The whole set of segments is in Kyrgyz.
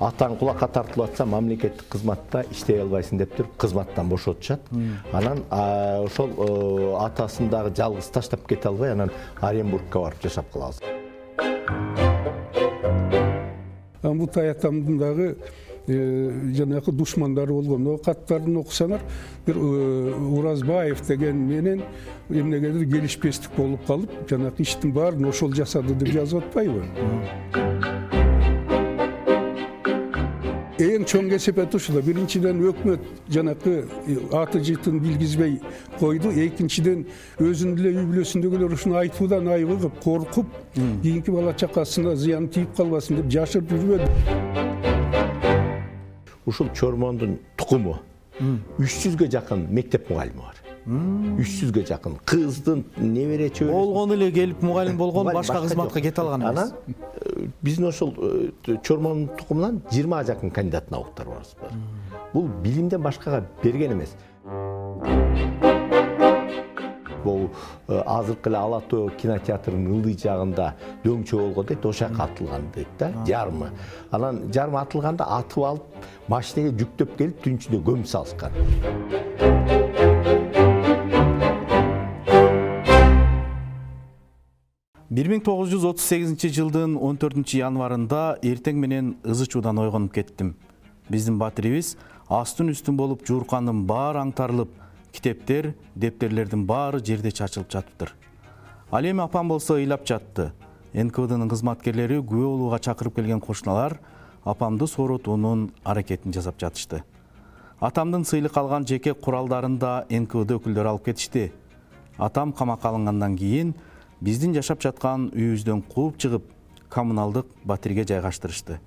атаң кулакка тартылып атса мамлекеттик кызматта иштей албайсың деп туруп кызматтан бошотушат. Анан ошол атасын дагы жалгыз таштап кете албай анан Оренбургка барып жашап калабыз. Амбутай атамдын дагы жанагы душмандары болгон. Каттарын окусаңар, бир Уразбаев деген менен эмнегедир келишпестик болуп калып, жанагы иштин баарын ошол жасады деп жазып атпайбы? Эң чоң кесепет ушул. Биринчиден өкмөт жанакы аты жытын билгизбей койду. Экинчиден өзүнүн эле үй бүлөсүндөгүлөр ушуну айтуудан айыгып, коркуп, кийинки бала чакасына зыян тийип калбасын деп жашырып жүрбөдү. Ушул Чормондун тукуму 300ге жакын мектеп мугалими бар. 300ге жакын кыздын небере чөбөрө болгону эле келип мугалим болгон, башка кызматка кете алган эмес. Анан биздин ошол Чормондун тукумунан 20га жакын кандидат науктар барбыз. Бул билимден башкага берген эмес. Бул азыркы эле Ала Тоо кинотеатрынын ылдый жагында дөңчө болгон дейт, ошол жака атылган дейт да, жарымы. Анан жарымы атылганда атып алып, машинеге жүктөп келип түн ичинде көмүп салышкан. Бир 1938 жылдын 14 январында эртең менен ызы чуудан ойгонуп кеттим. Биздин батирибиз астын үстүн болуп жуурканын баары аңтарылып, китептер, дептерлердин баары жерде чачылып жатыптыр. Ал эми апам болсо ыйлап жатты. НКВДнын кызматкерлери күбө болууга чакырып келген кошуналар апамды сооротуунун аракетин жасап жатышты. Атамдын сыйлык алган жеке куралдарын да НКВД өкүлдөрү алып кетишти. Атам камакка алынгандан кийин биздин жашап жаткан үйүбүздөн кууп чыгып, коммуналдык батирге жайгаштырышты.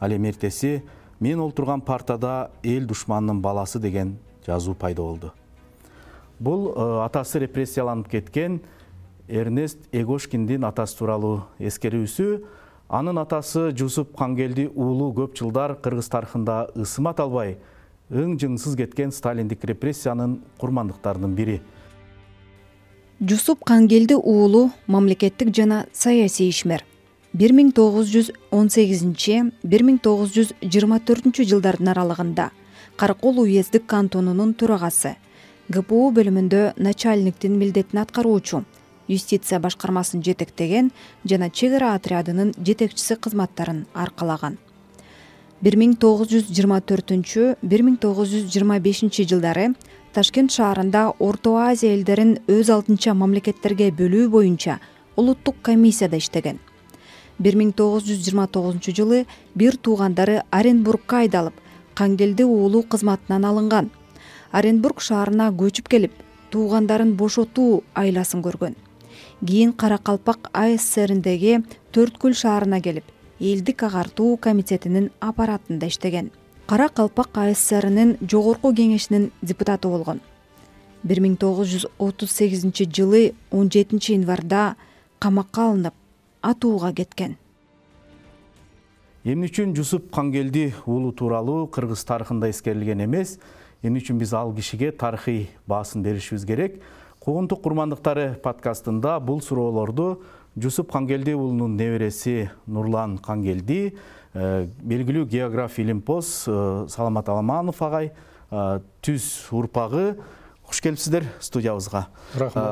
Ал эми эртеси мен олтурган партада эл душманынын баласы деген жазуу пайда болду. Бул атасы репрессияланып кеткен Эрнест Эгошкиндин атасы тууралуу эскерүүсү. Анын атасы Жусуп Кангелди уулу көп жылдар кыргыз тарыхында ысымат албай, ың-жыңсыз кеткен сталиндик репрессиянын курмандыктарынын бири. Жусуп Кангелди уулу мамлекеттик жана саясий ишмер. 1918-1924 жылдардын аралыгында Каракол уездик кантонунун төрагасы, ГПУ бөлүмүндө начальниктин милдетин аткаруучу, юстиция башкармасын жетектеген жана чек ара отрядынын жетекчиси кызматтарын аркалаган. 1924-1925 жылдары Ташкент шаарында Орто Азия элдерин өз алдынча мамлекеттерге бөлүү боюнча улуттук комиссияда иштеген. 1929 жылы бир туугандары Оренбургка айдалып, Кангелди уулу кызматынан алынган. Оренбург шаарына көчүп келип, туугандарын бошотуу айласын көргөн. Кийин Каракалпак АССРиндеги Төрткүл шаарына келип, элдик агартуу комитетинин аппаратында иштеген. Каракалпак АССРинин жогорку кеңешинин депутаты болгон. 1938 жылы 17 январда камакка алынып, атууга кеткен. Эмне үчүн Жусуп Кангелди уулу тууралуу кыргыз тарыхында эскерилген эмес? Эмне үчүн биз ал кишиге тарыхый баасын беришибиз керек? Куугунтук курмандыктары подкастында бул суроолорду Жусуп Кангелди уулунун небереси Нурлан Кангелди, белгилүү географ илимпоз Саламат Аламанов агай, түз урпагы. Хуш келипсиздер студиябызга.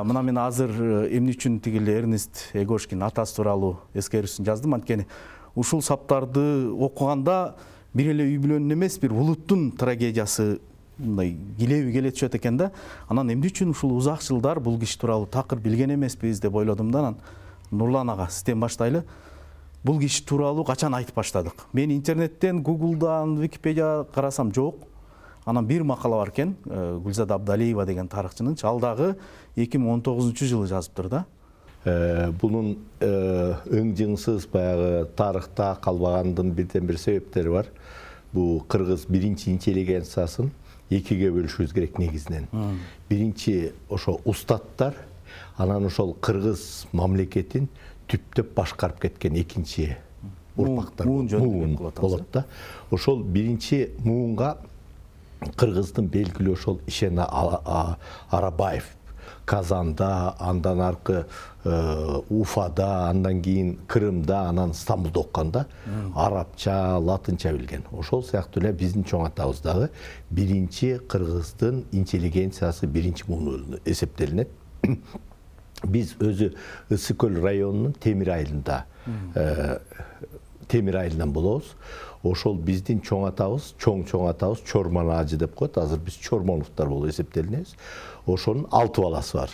Мына мен азыр эмне үчүн тигил Эрнест Эгошкин атасы тууралуу эскерүүсүн жаздым. Анткени ушул саптарды окуганда бир эле үй бүлөнүн эмес, бир улуттун трагедиясы мындай килеби келе түшөт экен да. Анан эмне үчүн ушул узак жылдар бул киши тууралуу такыр билген эмеспиз деп ойлодум да. Анан Нурлан ага сизден баштайлы. Бул киши тууралуу качан айтып баштадык? Мен интернеттен, Google'дан, Википедия карасам жок. Анан бир макала бар экен, Гүлзада Абдалиева деген тарыхчынын, ал дагы 2019 жылы жазыптыр да. Бунун ың-жыңсыз баягы тарыхта калбагандын бирден бир себептери бар. Бул кыргыз биринчи интеллигенциясын экиге бөлүшүбүз керек негизинен. Биринчи ошо устаттар, анан ошол кыргыз мамлекетин түптөп башкарып кеткен экинчи урпактар болот да. Ошол биринчи муунга кыргыздын белгилүү ошол Ишен Арабаев Казанда, андан аркы Уфада, андан кийин Крымда, анан Стамбулда окканда арабча, латынча билген. Ошол сыяктуу эле биздин чоң атабыз дагы биринчи кыргыздын интеллигенциясы биринчи муну эсептелинет. Биз өзү Ысык көл районунун Темир айылында Темир айылынан болобуз. Ошол биздин чоң атабыз Чормон ажы деп коет. Азыр биз Чормоновдор болуп эсептелинебиз. Ошонун 6 баласы бар.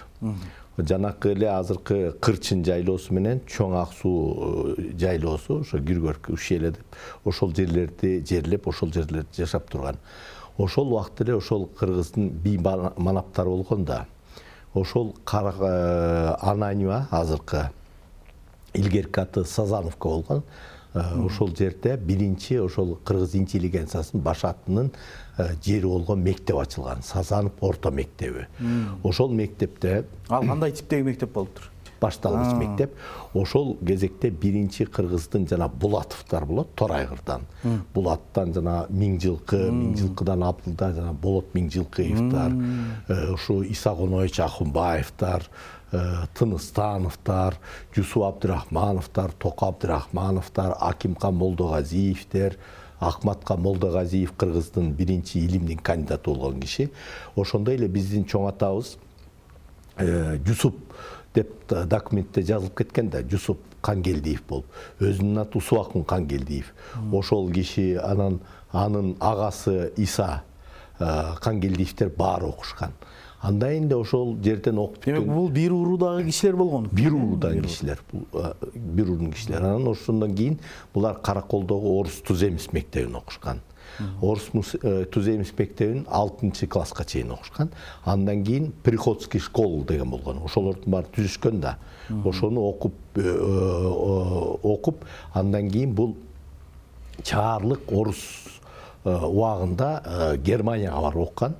Жанакы эле азыркы Кырчын жайлоосу менен Чоң Ак суу жайлоосу, ошо Гүргөрк Ушеле деп ошол жерлерди жерлеп, ошол жерлерде жашап турган. Ошол убакта эле ошол кыргыздын бий манаптары болгон да. Ошол Ананьева азыркы илгерки аты Сазановка болгон. Ошол жерде биринчи ошол кыргыз интеллигенциясынын башатынын жери болгон мектеп ачылган. Сазанов орто мектеби. Ошол мектепте ал кандай типтеги мектеп болуптур? Башталгыч мектеп. Ошол кезекте биринчи кыргыздын жана Булатовдор болот, Торайгырдан. Булаттан жана Миңжылкыдан Абдылда жана Болот Миңжилкыевдер, ушу Исагонович Ахунбаевдер, Тыныстановдор, Жусуп Абдырахмановдор, Токо Абдырахмановдор, Акимкан Молдогазиевдер, Акматка Молдогазиев кыргыздын биринчи илимдин кандидаты болгон киши. Ошондой эле биздин чоң атабыз Жусуп деп документте жазылып кеткен да, Жусуп Кангелдиев болуп. Өзүнүн аты Усубакын Кангелдиев. Ошол киши анын агасы Иса Кангелдиевдер баары окушкан. Андан эле ошол жерден окуп бүткөн. Демек бул бир уурудагы кишилер болгон. Бир уурудагы кишилер, бир уурудун кишилер. Анан ошондон кийин булар Караколдогу Орус Туземис мектебин окушкан. Орус Туземис мектебин 6-класска чейин окушкан. Андан кийин Приходский школа деген болгон. Ошолордун баары түзүшкөн да. Ошону окуп, андан кийин бул чаарлык орус убагында Германияга барып оккан.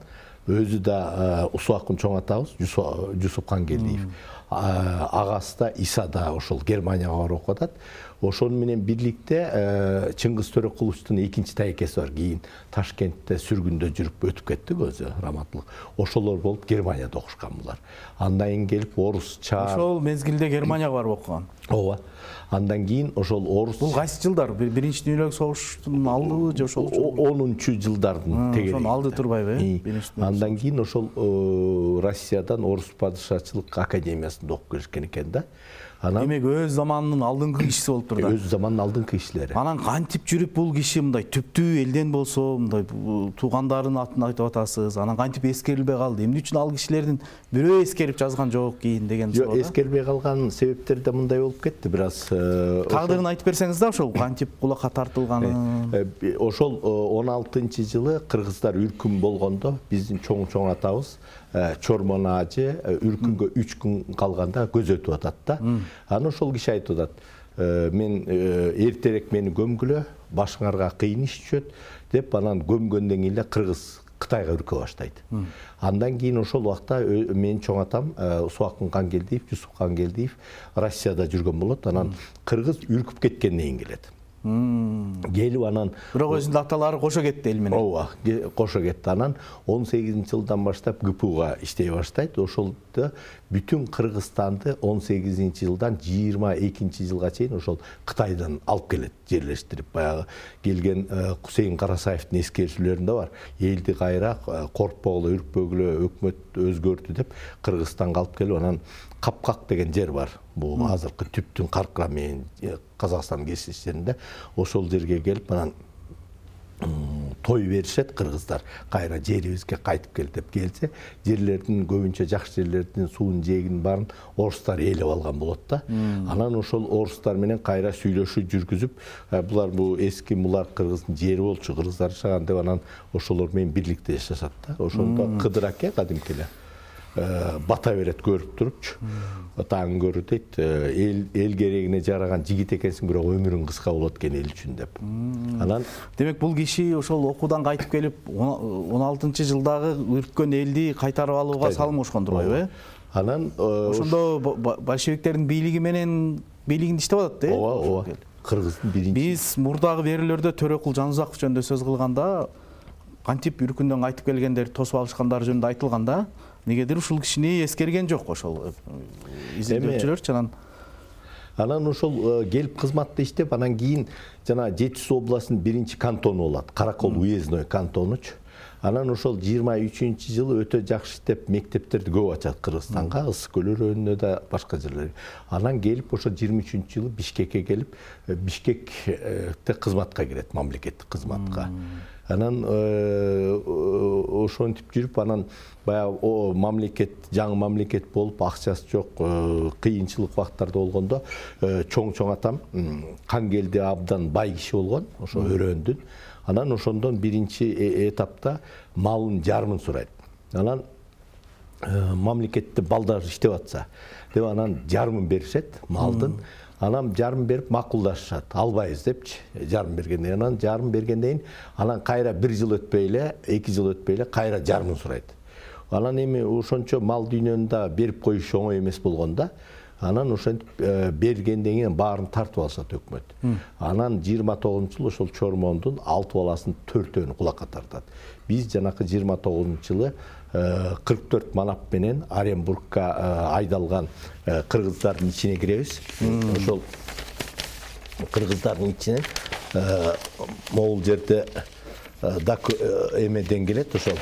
Өзү да Усубакын чоң атабыз Жусуп Кангелдиев. Агасы да Иса да ошол Германияга барып окуп атат. Ошону менен бирликте Чыңгыз Төрөкуловдун экинчи тайкеси бар. Кийин Ташкентте сүргүндө жүрүп өтүп кетти өзү раматтылык. Ошолор болуп Германияда окушкан булар. Андан кийин келип орус Ошол мезгилде Германияга барып окуган. Ооба. Андан кийин ошол орус. Бул кайсы жылдар? Биринчи дүйнөлүк согуштун алдыбы же ошол 10-жылдардын тегери. Ошонун алды турбайбы? Андан кийин ошол Россиядан орус падышачылык академиясында окуп келишкен экен да. Демек өз заманынын алдыңкы кишиси болуптур да. Өз заманынын алдыңкы кишилери. Анан кантип жүрүп бул киши мындай түптүү элден болсо, мындай туугандарынын атын айтып атасыз. Анан кантип эскерилбей калды? Эмне үчүн ал кишилердин бирөө эскерип жазган жок кийин деген суроо. Жок, эскербей калган себептер да мындай болуп кетти. Бир аз тагдырын айтып берсеңиз да, ошол кантип кулакка тартылганын. Ошол 16-жылы кыргыздар үркүн болгондо биздин чоң атабыз Чормон ажы үркүнгө 3 күн калганда көз өтүп атат да. Анан ошол киши айтып атат: "Мен эртерээк мени көмгүлө, башыңарга кыйын иш түшөт" деп, анан көмгөндөн кийин эле кыргыз Кытайга үркө баштайт. Андан кийин ошол убакта менин чоң атам Усубакын Кангелдиев, Жусуп Кангелдиев Россияда жүргөн болот. Анан кыргыз үркүп кеткенден кийин келет. Келип анан бирок өзүнүн аталары кошо кетти эл менен. Ооба, кошо кетти. Анан 18-жылдан баштап ГПУга иштей баштайт. Ошолдо бүтүн Кыргызстанды 18-жылдан 22-жылга чейин ошол Кытайдан алып келет, жерлештирип. Баягы келген Кусейин Карасаевдин эскерүүлөрүндө бар. Элди кайра коркпогула, үркпөгүлө, өкмөт өзгөртү деп Кыргызстанга алып келип, анан Капкак деген жер бар. Бул азыркы түптүн Каркыра менен Казакстандын кесиштеринде. Ошол жерге келип, анан той беришет кыргыздар. Кайра жерибизге кайтып кел деп келсе, жерлердин көбүнчө жакшы жерлердин суун жээгин баарын орустар ээлеп алган болот да. Анан ошол орустар менен кайра сүйлөшүү жүргүзүп, булар бул эски мулар кыргыздын жери болчу, кыргыздар жашаган деп, анан ошолор менен бирликте жашашат да. Ошондо Кыдыр аке кадимки эле бата берет көрүп турупчу. Таң көрүү дейт, эл керегине жараган жигит экенсиң, бирок өмүрүң кыска болот экен эл үчүн деп. Анан демек бул киши ошол окуудан кайтып келип 16-жылдагы үрккөн элди кайтарып алууга салым кошкон турбайбы? Анан ошондо большевиктердин бийлигинде иштеп атат да. Ооба. Кыргыздын биринчи. Биз мурдагы берүүлөрдө Төрөкул Жанузаков жөнүндө сөз кылганда кантип үркүндөн кайтып келгендер тосуп алышкандары жөнүндө айтылган да. Негедир ушул кишини эскерген жок ошол изилдөөчүлөр. Анан ошол келип кызматта иштеп, анан кийин жана Жети Суу областынын 1-кантону болот, Каракол уездной кантонучу. Анан ошол 23-жылы өтө жакшы иштеп мектептерди көп ачат Кыргызстанга, Ысык көл өрөөнүнө да башка жерлерге. Анан келип ошо 23-жылы Бишкекке келип, Бишкекте кызматка кирет, мамлекеттик кызматка. Анан ошентип жүрүп, анан баягы мамлекет, жаңы мамлекет болуп, акчасы жок, кыйынчылык убактарда болгондо чоң атам Кангелди абдан бай киши болгон, ошо өрөөндүн. Анан ошондон биринчи этапта малын жарымын сурайт. Анан мамлекетте балдар иштеп атса, деп анан жарымын беришет малдын. Анан жарым берип макулдашышат, албайбыз депчи, жарым бергенден. Анан жарым бергенден анан кайра 1 жыл өтпөй эле, 2 жыл өтпөй эле кайра жарымын сурайт. Анан эми ошончо мал дүйнөнү да берип коюш оңой эмес болгонда, анан ошентип бергенден кийин баарын тартып алышат өкмөт. Анан 29-жылы ошол Чормондун 6 баласын 4-өн кулакка тартат. Биз жанакы 29-жылы 44 манап менен Оренбургка айдалган кыргыздардын ичине киребиз. Ошол кыргыздардын ичинен могул жерде эмеден келет, ошол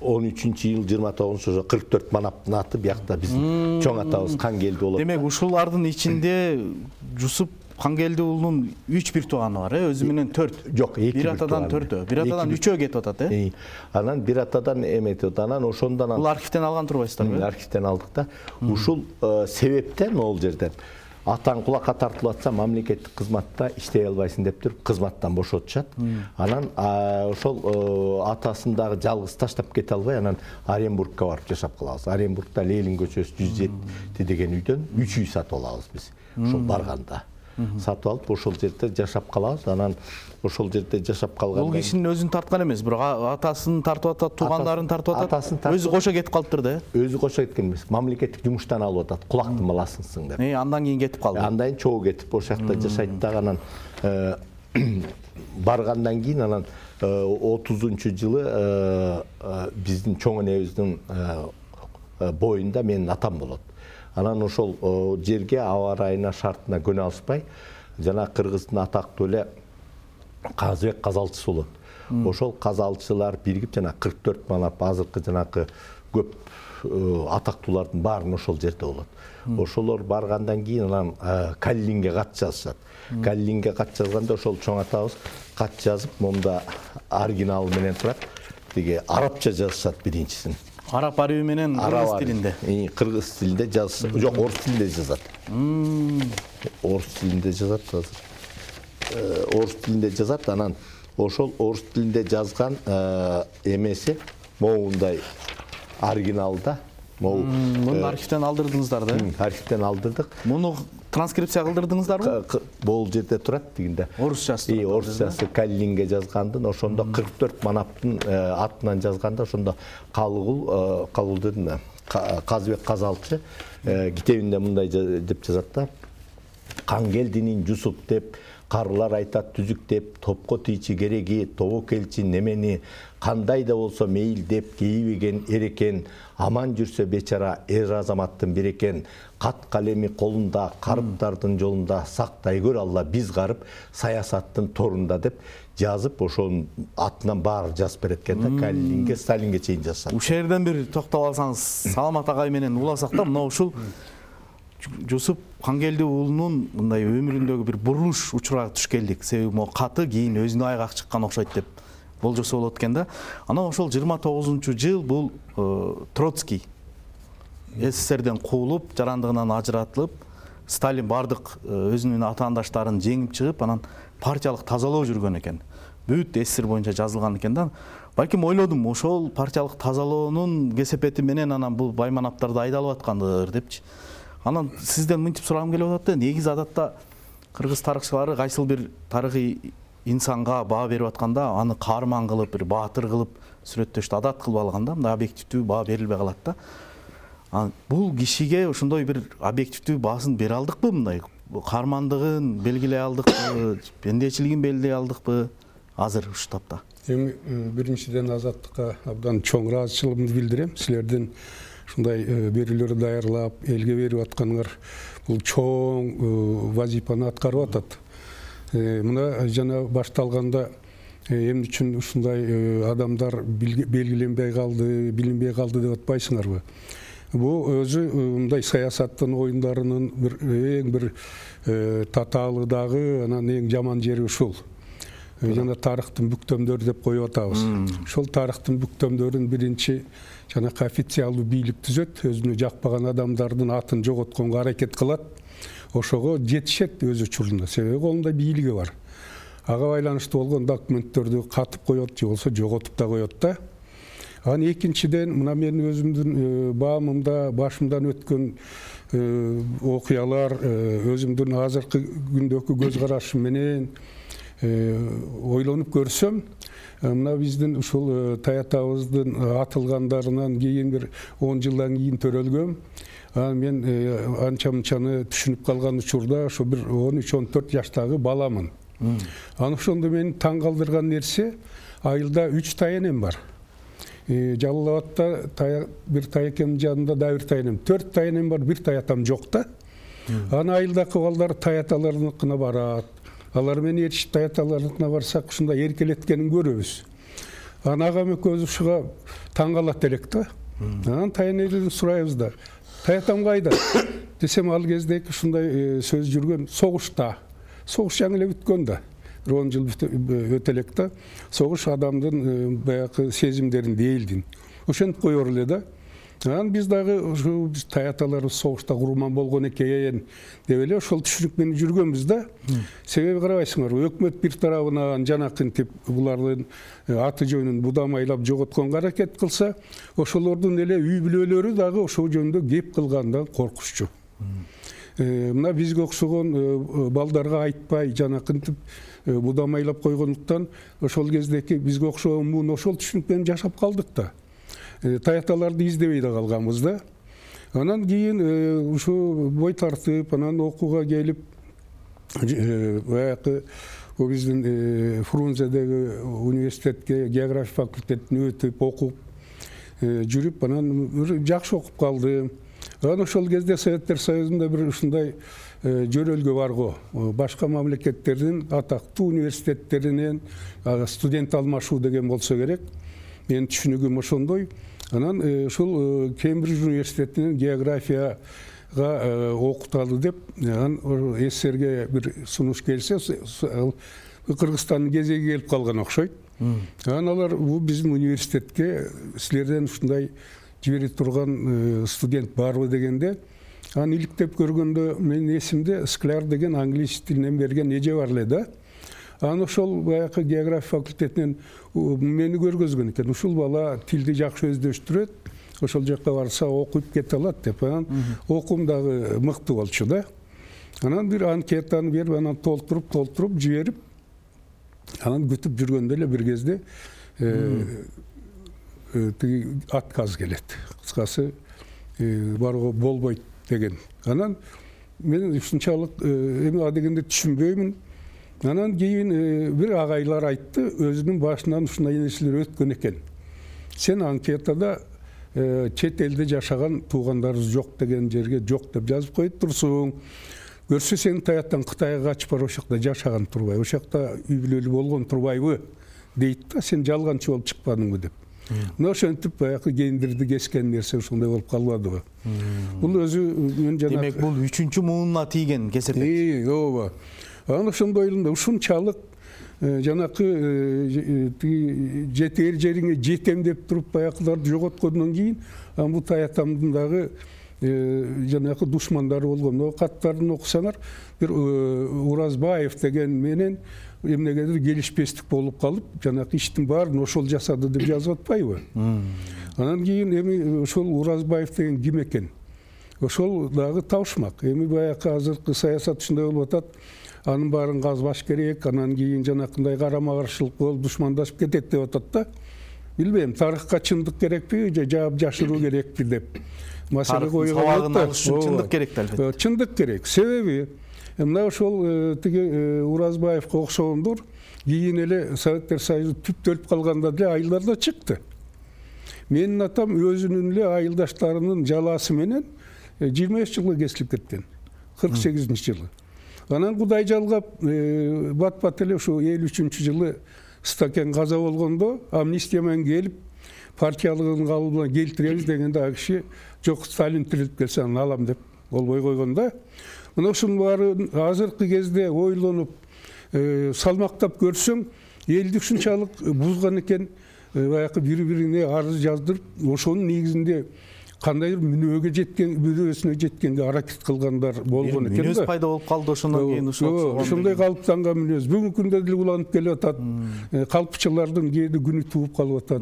13-жыл 29-ошо 44 манаптын аты биякта биздин чоң атабыз Кангелди болот. Демек ушулардын ичинде Жусуп Кангелди уулунун 3 бир тууганы бар, өзү менен 4. Жок, 2 бир атадан 4, бир атадан 3 кетип атат, Анан бир атадан эметип, анан ошондон бул архивден алган турбайсыздарбы? Архивден алдык да. Ушул себептен могул жерден атаң кулакка тартылып атса, мамлекеттик кызматта иштей албайсың деп туруп кызматтан бошотушат. Анан ошол атасын дагы жалгыз таштап кете албай, анан Оренбургка барып жашап калабыз. Оренбургда Ленин көчөсү 107 деген үйдөн 3 үй сатып алабыз биз. Ошол барганда сатып алып ошол жерде жашап калабыз. Анан ошол жерде жашап калганда бул кишинин өзүн тарткан эмес, бирок атасын тартып атат, туугандарын тартып атат. Өзү кошо кетип калыптыр да. Өзү кошо кеткен эмес, мамлекеттик жумуштан алып атат, кулактын баласысың деп. Андан кийин кетип калды. Андан кийин чогуу кетип ошол жакта жашайт дагы. Анан баргандан кийин анан 30-жылы биздин чоң энебиздин боюнда менин атам болот. Анан ошол жерге аба ырайына, шартына көнө алышпай, жана кыргыздын атактуу эле Казыбек казалчысы болот. Ошол казалчылар биригип жана 44 манап азыркы жанакы көп атактуулардын баарын ошол жерде болот. Ошолор баргандан кийин анан Каллинге кат жазышат. Каллинге кат жазганда ошол чоң атабыз кат жазып, момда оригиналы менен турат. Тиги арабча жазышат биринчисин. Араб арабы менен кыргыз тилинде. Кыргыз тилинде жазса, жок, орус тилинде жазат. Орус тилинде жазат азыр. Орус тилинде жазат, анан ошол орус тилинде жазган эмеси моундай оригиналда. Муну архивден алдырдыңыздар да? Архивден алдырдык. Муну транскрипция кылдырдыңыздарбы? Бул жерде турат дегенде. Орусчасы. Орусчасы Каллинге жазгандын, ошондо 44 манаптын атынан жазганда, ошондо Калгулдун Казыбек казалчы китебинде мындай деп жазат да. Кангелдинин Жусуп деп, карылар айтат түзүк деп, топко тийчи кереги, тобо келчи немени, кандай да болсо мейил деп кейбеген эрекен, аман жүрсө бечара эр азаматтын бирекен, кат калеми колунда, карыптардын жолунда, сактай көр Алла биз карып, саясаттын торунда деп жазып, ошонун атынан баары жазып берет экен да, Каллинге, Сталинге чейин жазышат. Ушул жерден бир токтоп алсаңыз, Саламат агай менен уласак да, мына ушул Жусуп Кангелди уулунун мындай өмүрүндөгү бир бурулуш учурага туш келдик. Себеби могу каты кийин өзүнө айгак чыккан окшойт деп болжосо болот экен да. Анан ошол 29-жыл бул Троцкий СССРден куулуп, жарандыгынан ажыратылып, Сталин бардык өзүнүн атаандаштарын жеңип чыгып, анан партиялык тазалоо жүргөн экен. Бүт СССР боюнча жазылган экен да. Балким ойлодум, ошол партиялык тазалоонун кесепети менен анан бул байманаптарды айдалып аткандыр депчи. Анан сизден мынтип сурагым келип атат да, негизи адатта кыргыз тарыхчылары кайсыл бир тарыхый инсанга баа берип атканда аны каарман кылып, бир баатыр кылып сүрөттөштү адат кылып алган да, мындай объективдүү баа берилбей калат да. Бул кишиге ошондой бир объективдүү баасын бере алдыкпы, мындай каармандыгын белгилей алдыкпы, пендечилигин белгилей алдыкпы? азыр ушул тапта? Эми биринчиден Азаттыкка абдан чоң ыраазычылыгымды билдирем. Силердин ушундай берүүлөр даярлап элге берип атканыңар бул чоң вазифаны аткарып атат. Мына жана башталганда эмне үчүн ушундай адамдар белгиленбей калды, билинбей калды деп атпайсыңарбы? Бул өзү мындай саясаттын оюндарынын эң бир татаалы дагы, анан эң жаман жери ушул. Жана тарыхтын бүктөмдөрү деп коюп атабыз. Ошол тарыхтын бүктөмдөрүн биринчи жанакы официалдуу бийлик түзөт, өзүнө жакпаган адамдардын атын жоготконго аракет кылат. Ошого жетишет өз учурунда, себеби колунда бийлиги бар. Ага байланыштуу болгон документтерди катып коет же болбосо жоготуп да коет да. Анан экинчиден, мына менин өзүмдүн баамымда, башымдан өткөн окуялар, өзүмдүн азыркы күндөгү көз карашым менен ойлонуп көрсөм, мына биздин ушул таятабыздын атылгандарынан кийин бир 10 жылдан кийин төрөлгөм. Мен анча-мынчаны түшүнүп калган учурда ошо бир 13-14 жаштагы баламын. Анан ошондо мени таң калтырган нерсе, айылда 3 таянем бар. Жалал Абадта бир таякемдин жанында да бир таянем, 4 таянем бар, бир таятам жок да. Анан айылдагы балдар таяталарыныкына барат. Алар менен ээрчип таяталарыныкына барсак, ушундай эркелеткенин көрөбүз. Анан агам экөөбүз ушуга таң калат элек да. Анан таянеден сурайбыз да. Таятам кайда? Десем, ал кезде ушундай сөз жүргөн, согушта. Согуш жаңы эле бүткөн да. 10 жыл өтө элек да. Согуш адамдын баягы сезимдерин дээлдин. Ошентип коёр эле да. Анан биз дагы ушу таяталарыбыз согушта курман болгон экен деп эле ошол түшүнүк менен жүргөнбүз да. Себеби карабайсыңарбы, өкмөт бир тарабынан жанакынтип булардын аты жөнүн будамайлап жоготконго аракет кылса, ошолордун эле үй бүлөлөрү дагы ошол жөнүндө кеп кылгандан коркуччу. Мына бизге окшогон балдарга айтпай жанакынтип будамайлап койгондуктан ошол кездеки бизге окшогон муун ошол түшүнүк менен жашап калдык да. Таяталарды издебей да калганбыз да. Анан кийин ушу бой тартып, анан окууга келип, баягы биздин Фрунзедеги университетке география факультетине өтүп, окуп жүрүп, анан жакшы окуп калдым. Анан ошол кезде Советтер Союзунда бир ушундай жөрөлгө бар го. Башка мамлекеттердин атактуу университеттеринен студент алмашуу деген болсо керек. Менин түшүнүгүм ошондой. Анан ушул Кембридж университетинен географияга окуталы деп, анан СССРге бир сунуш келсе, Кыргызстандын кезеги келип калган окшойт. Анан алар бул биздин университетке силерден ушундай жибере турган студент барбы дегенде, анан иликтеп көргөндө менин эсимде Скляр деген англис тилинен берген эже бар эле да. Анан ошол баягы география факультетинен мени көргөзгөн экен. Ушул бала тилди жакшы өздөштүрөт, ошол жакка барса окуп кете алат деп. Анан окуум дагы мыкты болчу да. Анан бир анкетаны берип, анан толтуруп жиберип, анан күтүп жүргөндө эле бир кезде отказ келет. Кыскасы барууга болбойт деген. Анан мен ушунчалык эми а дегенде түшүнбөймүн. Анан кийин бир агайлар айтты, өзүнүн башынан ушундай нерселер өткөн экен. Сен анкетада чет элде жашаган туугандарыбыз жок деген жерге жок деп жазып коюп турсуң. Көрсө сен таятан Кытайга качып барып ошакта жашаган турбайбы, ошакта үй бүлөлүү болгон турбайбы дейт да, сен жалганчы болуп чыкпадыңбы деп. Мына ошентип баягы гендерди кескен нерсе ушундай болуп калбадыбы? Бул өзү мен жана демек бул үчүнчү муунуна тийген кесепет. Ооба. Анан ошондой эле ушунчалык жанакы жетер жериңе жетем деп туруп баягыларды жоготкондон кийин бул таятамдын дагы жанакы душмандары болгон. Каттарын окусаңар, бир Уразбаев деген менен эмнегедир келишпестик болуп калып, жанакы иштин баарын ошол жасады деп жазып атпайбы? Анан кийин эми ошол Уразбаев деген ким экен? Ошол дагы табышмак. Эми баягы азыркы саясат ушундай болуп атат. Анын баарын казбаш керек, анан кийин жанакындай карама-каршылык болуп душмандашып кетет деп атат да. Билбейм, тарыхка чындык керекпи же жаап жашыруу керекпи деп. маселе койгон сабагын алыш үчүн чындык керек да, албетте. Чындык керек. Себеби мына ошол тиги Уразбаевка окшогондор кийин эле Советтер Союзу түптөлүп калганда деле айылдарда чыкты. Менин атам өзүнүн эле айылдаштарынын жалаасы менен 25 жылга кесилип кеткен. 48-жылы. Анан Кудай жалгап бат-бат эле ушу 53-жылы Стакен каза болгондо амнистия менен келип партиялыгын кабыл менен келтиребиз дегенде ал киши жок, Сталин тирилип келсе анан алам деп болбой койгон да. Мына ушунун баары азыркы кезде ойлонуп салмактап көрсөң, элди ушунчалык бузган экен, баягы бири-бирине арыз жаздырып, ошонун негизинде кандайдыр мүнөзүнө жеткенге аракет кылгандар болгон экен да. Мүнөз пайда болуп калды ошондон кийин ошондой калыптанган мүнөз бүгүнкү күндө деле уланып келип атат. Калпчылардын кээде күнү тууп калып атат.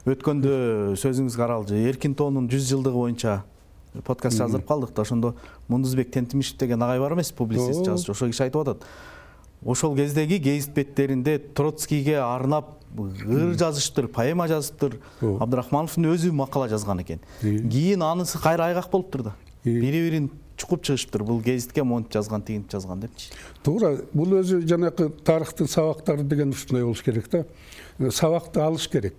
Өткөндө сөзүңүзгө аралжы Эркин тоонун 100 жылдыгы боюнча подкаст жаздырып калдык да, ошондо Мундузбек Тентимишев деген агай бар эмес, публицист, жазуучу. Ошол киши айтып атат. Ошол кездеги гезит беттеринде Троцкийге арнап ыр жазыштыр, поэма жазыптыр. Абдрахмановдун өзү макала жазган экен. Кийин анысы кайра айгак болуптур да. Бири-бирин чукуп чыгышыптыр. Бул гезитке монтип жазган, тигинтип жазган депчи. Туура, бул өзү жанакы тарыхтын сабактары деген ушундай болуш керек да. Сабакты алыш керек.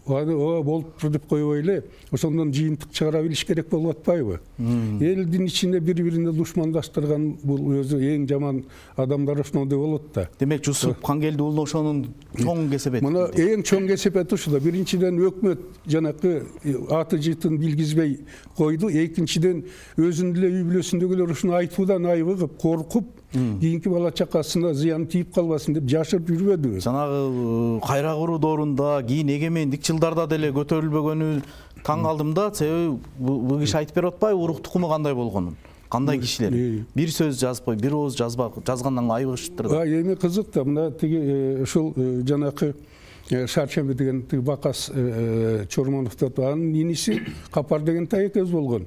Болуптур деп койбой эле ошондон жыйынтык чыгара билиш керек болуп атпайбы? Элдин ичинде бири-бирине душмандаштырган бул өзү эң жаман адамдар ошондой болот да. Демек Жусуп Кангелди уулу ошонун чоң кесепети. Мына эң чоң кесепети ушул да. Биринчиден өкмөт жанакы аты жытын билгизбей койду. Экинчиден өзүнүн эле үй бүлөсүндөгүлөр ушуну айтуудан айыгып, коркуп, кийинки бала чакасына зыян тийип калбасын деп жашырып жүрбөдүбү. Жанагы кайра куруу доорунда, кийин эгемендик жылдарда деле көтөрүлбөгөнү таң калдым да. Себеби бул киши айтып берип атпайбы урук тукуму кандай болгонун? Кандай кишилер? Бир сөз жазбай, бир ооз жазгандан айыгышыптыр да. Эми кызык да, мына тиги ушул жанакы Шаршемби деген тиги Бакас Чормоновдун анын иниси Капар деген тайекез болгон.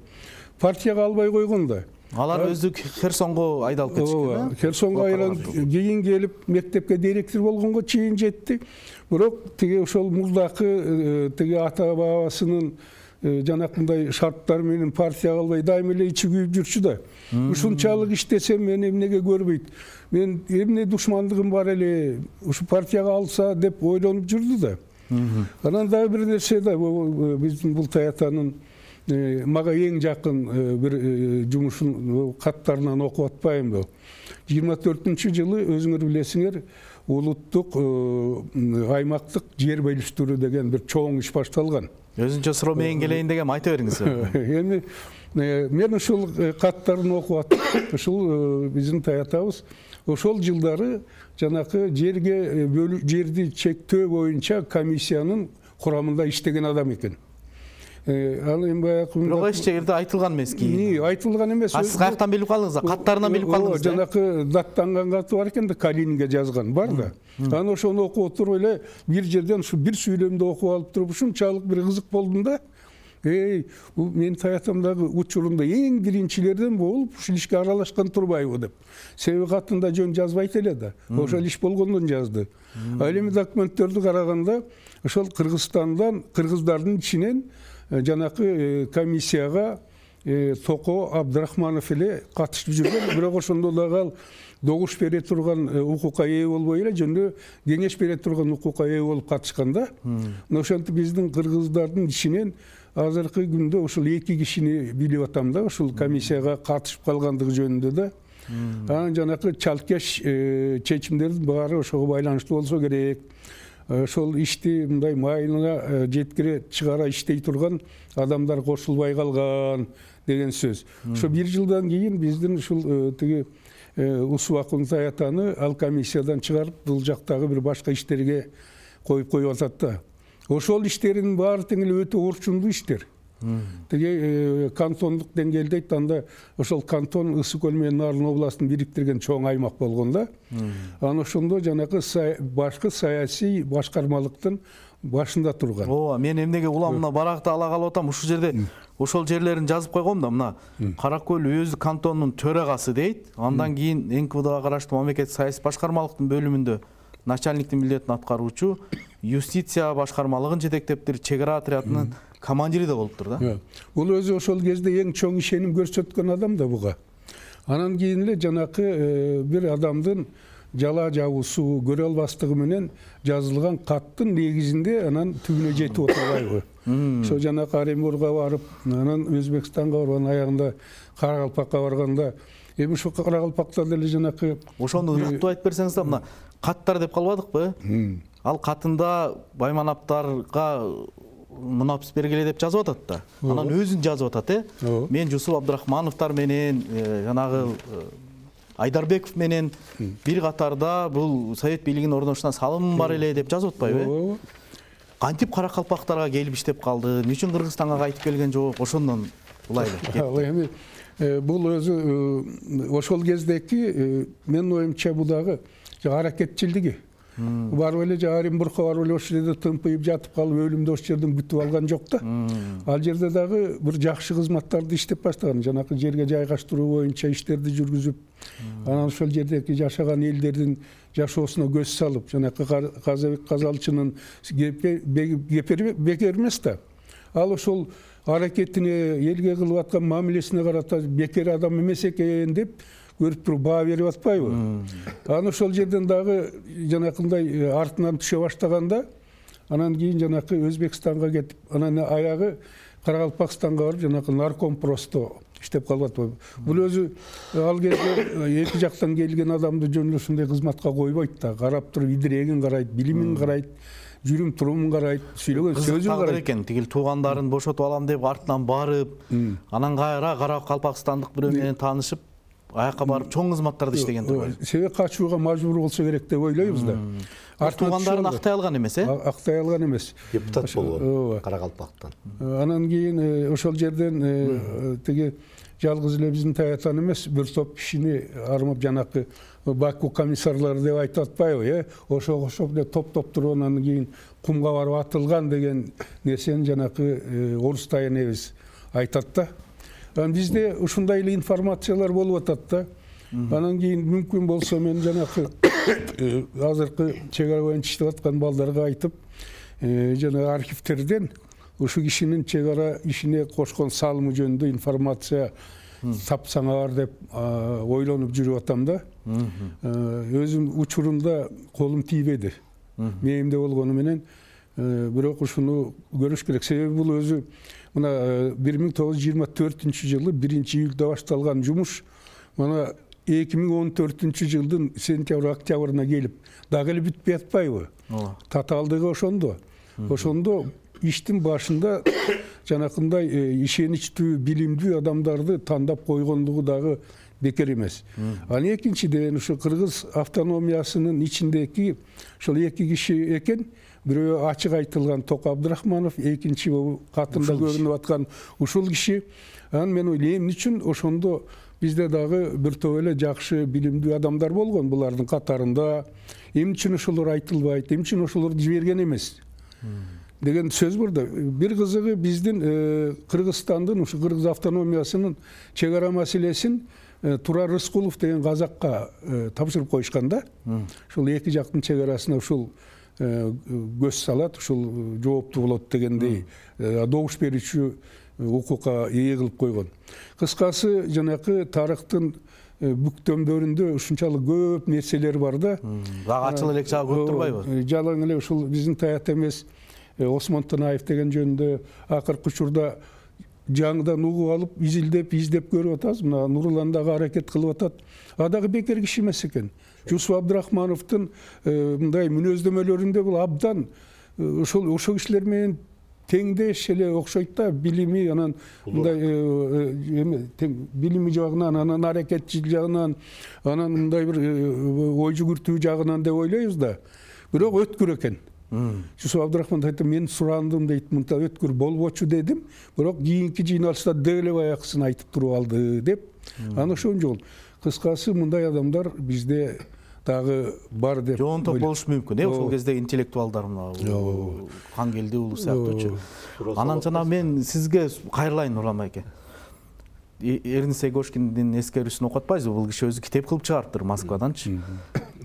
Партияга албай койгон да. Алар өзү Херсонго айдалып кетишкен. Херсонго айланып кийин келип мектепке директор болгонго чейин жетти. Бирок тиги ошол муздакы тиги ата бабасынын жанакындай шарттары менен партияга албай дайыма эле ичи күйүп жүрчү да. Ушунчалык иштесем мени эмнеге көрбөйт? Мен эмне душмандыгым бар эле, ушу партияга алса деп ойлонуп жүрдү да. Анан дагы бир нерсе да, биздин Бултай атанын мага эң жакын бир жумушун каттарынан окуп атпаймынбы? 24-жылы өзүңөр билесиңер, улуттук аймактык жер бөлүштүрүү деген бир чоң иш башталган. Өзүнчө суроо менен келейин дегем, айта бериңиз. Эми мен ушул каттарын окуп аттым. Ушул биздин таятабыз ошол жылдары жанакы жерди чектөө боюнча комиссиянын курамында иштеген адам экен. Ал эми баягы бирок эч жерде айтылган эмес кийин. Айтылган эмес. Сиз каяктан билип калдыңыз? Каттарынан билип калдыңыз? Жанакы даттанган каты бар экен да, Калининге жазган бар да. Анан ошону окуп отуруп эле бир жерден ушу бир сүйлөмдү окуп алып туруп ушунчалык бир кызык болдум да. Бул менин таятамдагы учурумда эң биринчилерден болуп ушул ишке аралашкан турбайбы деп. Себеби катында жөн жазбайт эле да. Ошол иш болгондон жазды. Ал эми документтерди караганда ошол Кыргызстандан, кыргыздардын ичинен жанакы комиссияга Токо Абдрахманов эле катышып жүргөн. Бирок ошондо дагы ал добуш бере турган укукка ээ болбой эле жөнүндө кеңеш бере турган укукка ээ болуп катышкан да. Ошентип биздин кыргыздардын ичинен азыркы күндө ушул 2 кишини билип атам да, ушул комиссияга катышып калгандыгы жөнүндө да. Анан жанакы чалкеш чечимдердин баары ошого байланыштуу болсо керек. Ошол ишти мындай майына жеткире чыгара иштей турган адамдар кошулбай калган деген сөз. Ошо 1 жылдан кийин биздин ушул тиги Усубакун таятаны ал комиссиядан чыгарып, бул жактагы бир башка иштерге коюп атат да. Ошол иштердин баары тең эле өтө орчундуу иштер. Тиги кантондук деңгээлде анда ошол кантон Ысык көл менен Нарын областын бириктирген чоң аймак болгон да. Анан ошондо жанакы башкы саясий башкармалыктын башында турган. Мен эмнеге уламына баракты ала калып атам, ушул жерде ошол жерлерин жазып койгом да. Мына Кара көл өз кантонунун төрагасы дейт. Андан кийин НКВДга караштуу мамлекеттик саясий башкармалыктын бөлүмүндө начальниктин милдетин аткаруучу, юстиция башкармалыгын жетектептир, чек ара отрядынын командири да болуптур да. Бул өзү ошол кезде эң чоң ишеним көрсөткөн адам да буга. Анан кийин эле жанакы бир адамдын жала жабуусу, көрө албастыгы менен жазылган каттын негизинде анан түбүнө жетип отурбайбы. Ошо жанакы Оренбургга барып, анан Өзбекстанга барган, аягында Каракалпакка барганда, эми ушу Каракалпакта деле жанакы ошону ыраттуу айтып берсеңиз да, мына каттар деп калбадыкпы? Ал катында Баймановдорго мунапис бергиле деп жазып атат да. Анан өзүн жазып атат, мен Жусуп Абдрахмановдор менен жанагы Айдарбеков менен бир катарда бул совет бийлигинин орношуна салымым бар эле деп жазып атпайбы? Кантип Каракалпактарга келип иштеп калды? Эмне үчүн Кыргызстанга кайтып келген жок? Ошондон булай эле. Бул өзү ошол кездеки менин оюмча бул дагы аракетчилдиги. Барып эле Оренбургка барып эле ошол жерде тымпыйып жатып калып, өлүмдү ошол жерден күтүп алган жок да. Ал жерде дагы бир жакшы кызматтарды иштеп баштаган, жанакы жерге жайгаштыруу боюнча иштерди жүргүзүп, анан ошол жердеги жашаган элдердин жашоосуна көз салып, жанакы Казабек Казалчынын кепери бекер эмес да. Ал ошол аракетине, элге кылып аткан мамилесине карата бекер адам эмес экен деп көрүп туруп баа берип атпайбы? Анан ошол жерден дагы жанакындай артынан түшө баштаганда, анан кийин жанакы Өзбекстанга кетип, анан аягы Каракалпакстанга барып, жанакы нарком просто иштеп калып атпайбы? Бул өзү ал кезде эки жактан келген адамды жөн эле ушундай кызматка койбойт да. Карап туруп идирегин карайт, билимин карайт, жүрүм турумун карайт, сүйлөгөн сөзүн карайт экен. Тигил туугандарын бошотуп алам деп артынан барып, анан кайра Каракалпакстандык бирөө менен таанышып, аякка барып чоң кызматтарды иштеген турбайбы? Себеп качууга мажбур болсо керек деп ойлойбуз да. Туугандарын актай алган эмес, актай алган эмес. Депутат болгон Каракалпактан. Анан кийин ошол жерден тиги жалгыз эле биздин таятан эмес, бир топ кишини армап, жанакы Баку комиссарлары деп айтып атпайбы, ошого окшоп эле топтоп туруп, анан кийин кумга барып атылган деген нерсени жанакы орустай энебиз айтат да. Бизде ушундай эле информациялар болуп атат да. Анан кийин мүмкүн болсо мен жанакы азыркы чек ара боюнча иштеп аткан балдарга айтып, жана архивтерден ушу кишинин чек ара ишине кошкон салымы жөнүндө информация тапсаңар деп ойлонуп жүрүп атам да. Өзүм учурунда колум тийбеди. Мээимде болгону менен, бирок ушуну көрүш керек. Себеби бул өзү мына 1924-жылы 1-июлда башталган жумуш мына 2014-жылдын сентябрь-октябрына келип дагы эле бүтпөй атпайбы? Татаалдыгы ошондо. Ошондо иштин башында жанакындай ишеничтүү, билимдүү адамдарды тандап койгондугу дагы бекер эмес. Анан экинчиден ушу Кыргыз автономиясынын ичиндеги ошол эки киши экен. Бирөө ачык айтылган Токо Абдрахманов, экинчи катында көрүнүп аткан ушул киши. Анан мен ойлойм, эмне үчүн ошондо бизде дагы бир топ эле жакшы билимдүү адамдар болгон булардын катарында. Эмне үчүн ошолор айтылбайт, эмне үчүн ошолорду жиберген эмес деген сөз бар да. Бир кызыгы биздин Кыргызстандын, ушу Кыргыз автономиясынын чек ара маселесин Турар Рыскулов деген казакка тапшырып коюшкан да. Ушул эки жактын чек арасына ушул көз салат, ушул жооптуу болот дегендей добуш берүүчү укукка ээ кылып койгон. Кыскасы, жанакы тарыхтын бүктөмдөрүндө ушунчалык көп нерселер бар да. Дагы ачыл элек жагы көп турбайбы? Жалаң эле ушул биздин таят эмес Осмон Танаев деген жөнүндө акыркы учурда жаңыдан угуп алып, издеп көрүп атабыз. Мына Нурлан дагы аракет кылып атат. А дагы бекер киши эмес экен. Жусуп Абдрахмановдун мындай мүнөздөмөлөрүндө бул абдан ошол кишилер менен теңдеш эле окшойт да, билими, анан мындай билими жагынан, анан аракетчил жагынан, анан мындай бир ой жүгүртүү жагынан деп ойлойбуз да. Бирок өткүр экен. Жусуп Абдрахманов айтты, мен сурандым дейт, мынта өткүр болбочу дедим, бирок кийинки жыйналышта деле аяксын айтып туруп алды деп. Анан ошон жол. Кыскасы, мындай адамдар бизде дагы бар деп. Жоонтоп болушу мүмкүн, ошол кезде интеллектуалдар мына Кангелди уулу сыяктуучу. Анан жана мен сизге кайрылайын, Нурлан байке. Эрнст Егошкиндин эскерүүсүн окуп атпайсызбы? Бул киши өзү китеп кылып чыгарыптыр Москваданчы.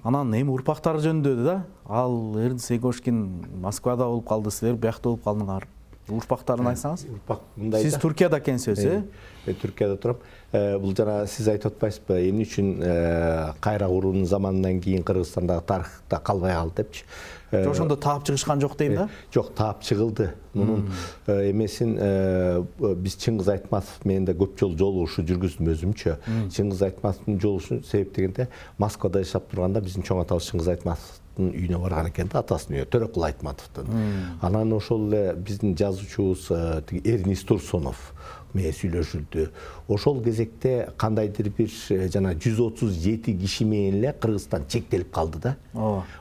Анан эми урпактары жөнүндө да, ал Эрнст Егошкин Москвада болуп калды, силер биякта болуп калдыңар. Урпактарын айтсаңыз. Урпак мындай. Сиз Түркияда экенсиз, Мен Түркияда турам. Бул жана сиз айтып атпайсызбы, эмне үчүн кайра куруунун заманынан кийин Кыргызстандагы тарыхта калбай калды депчи. Ошондо таап чыгышкан жок дейм да? Жок, таап чыгылды. Мунун эмесин биз Чыңгыз Айтматов менен да көп жолу жолугушуу жүргүздүм өзүмчө. Чыңгыз Айтматовдун жолугушуунун себеп дегенде Москвада жашап турганда биздин чоң атабыз Чыңгыз Айтматовдун үйүнө барган экен да, атасынын үйүнө, Төрөкул Айтматовдун. Анан ошол эле биздин жазуучубуз Эрнис Турсунов менен сүйлөшүлдү. Ошол кезекте кандайдыр бир жана 137 киши менен эле Кыргызстан чектелип калды да.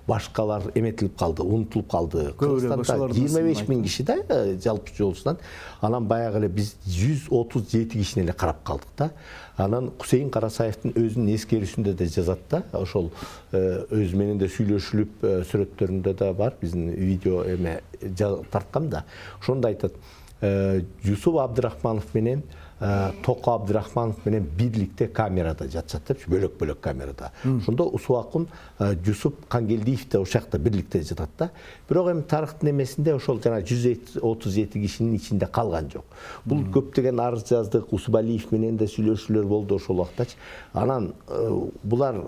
Башкалар эметилип калды, унутулуп калды. Кыргызстанда 25 000 киши да жалпы жолусунан. Анан баягы эле биз 137 кишини эле карап калдык да. Анан Кусейин Карасаевдин өзүнүн эскерүүсүндө да жазат да. Ошол өзү менен да сүйлөшүлүп, сүрөттөрүндө да бар, биздин видео эме тарткан да. Ошондо айтат, Жусуп Абдрахманов менен Токо Абдрахманов менен бирликте камерада жатышат депчи, бөлөк-бөлөк камерада. Ошондо Усуакун Жусуп Кангелдиев да ошол жакта бирликте жатат да. Бирок эми тарыхтын эмесинде ошол жана 137 кишинин ичинде калган жок. Бул көптөгөн арыз жаздык, Усубалиев менен да сүйлөшүүлөр болду ошол убактачы. Анан булар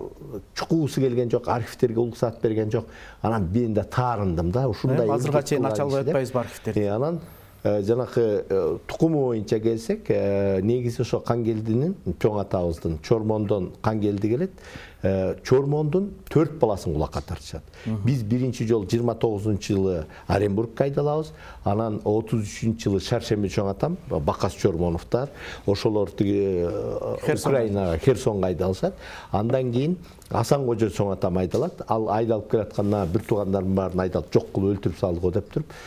чукуусу келген жок, архивтерге уруксат берген жок. Анан мен да таарындым да, ушундай. Азырга чейин ача албай атпайбызбы архивтерди? Анан жанакы тукуму боюнча келсек, негизи ошо Кангелдинин, чоң атабыздын Чормондон Кангелди келет. Чормондун 4 баласын кулакка тартышат. Биз биринчи жол 29-жылы Оренбургка айдалабыз, анан 33-жылы Шаршемби чоң атам, Бакас Чормоновдор, ошолор Украинага, Херсонго айдалышат. Андан кийин Асан Кожо чоң атам айдалат. Ал айдалып келатканда бир туугандарымдын баарын айдалып жок кылып өлтүрүп салдык деп туруп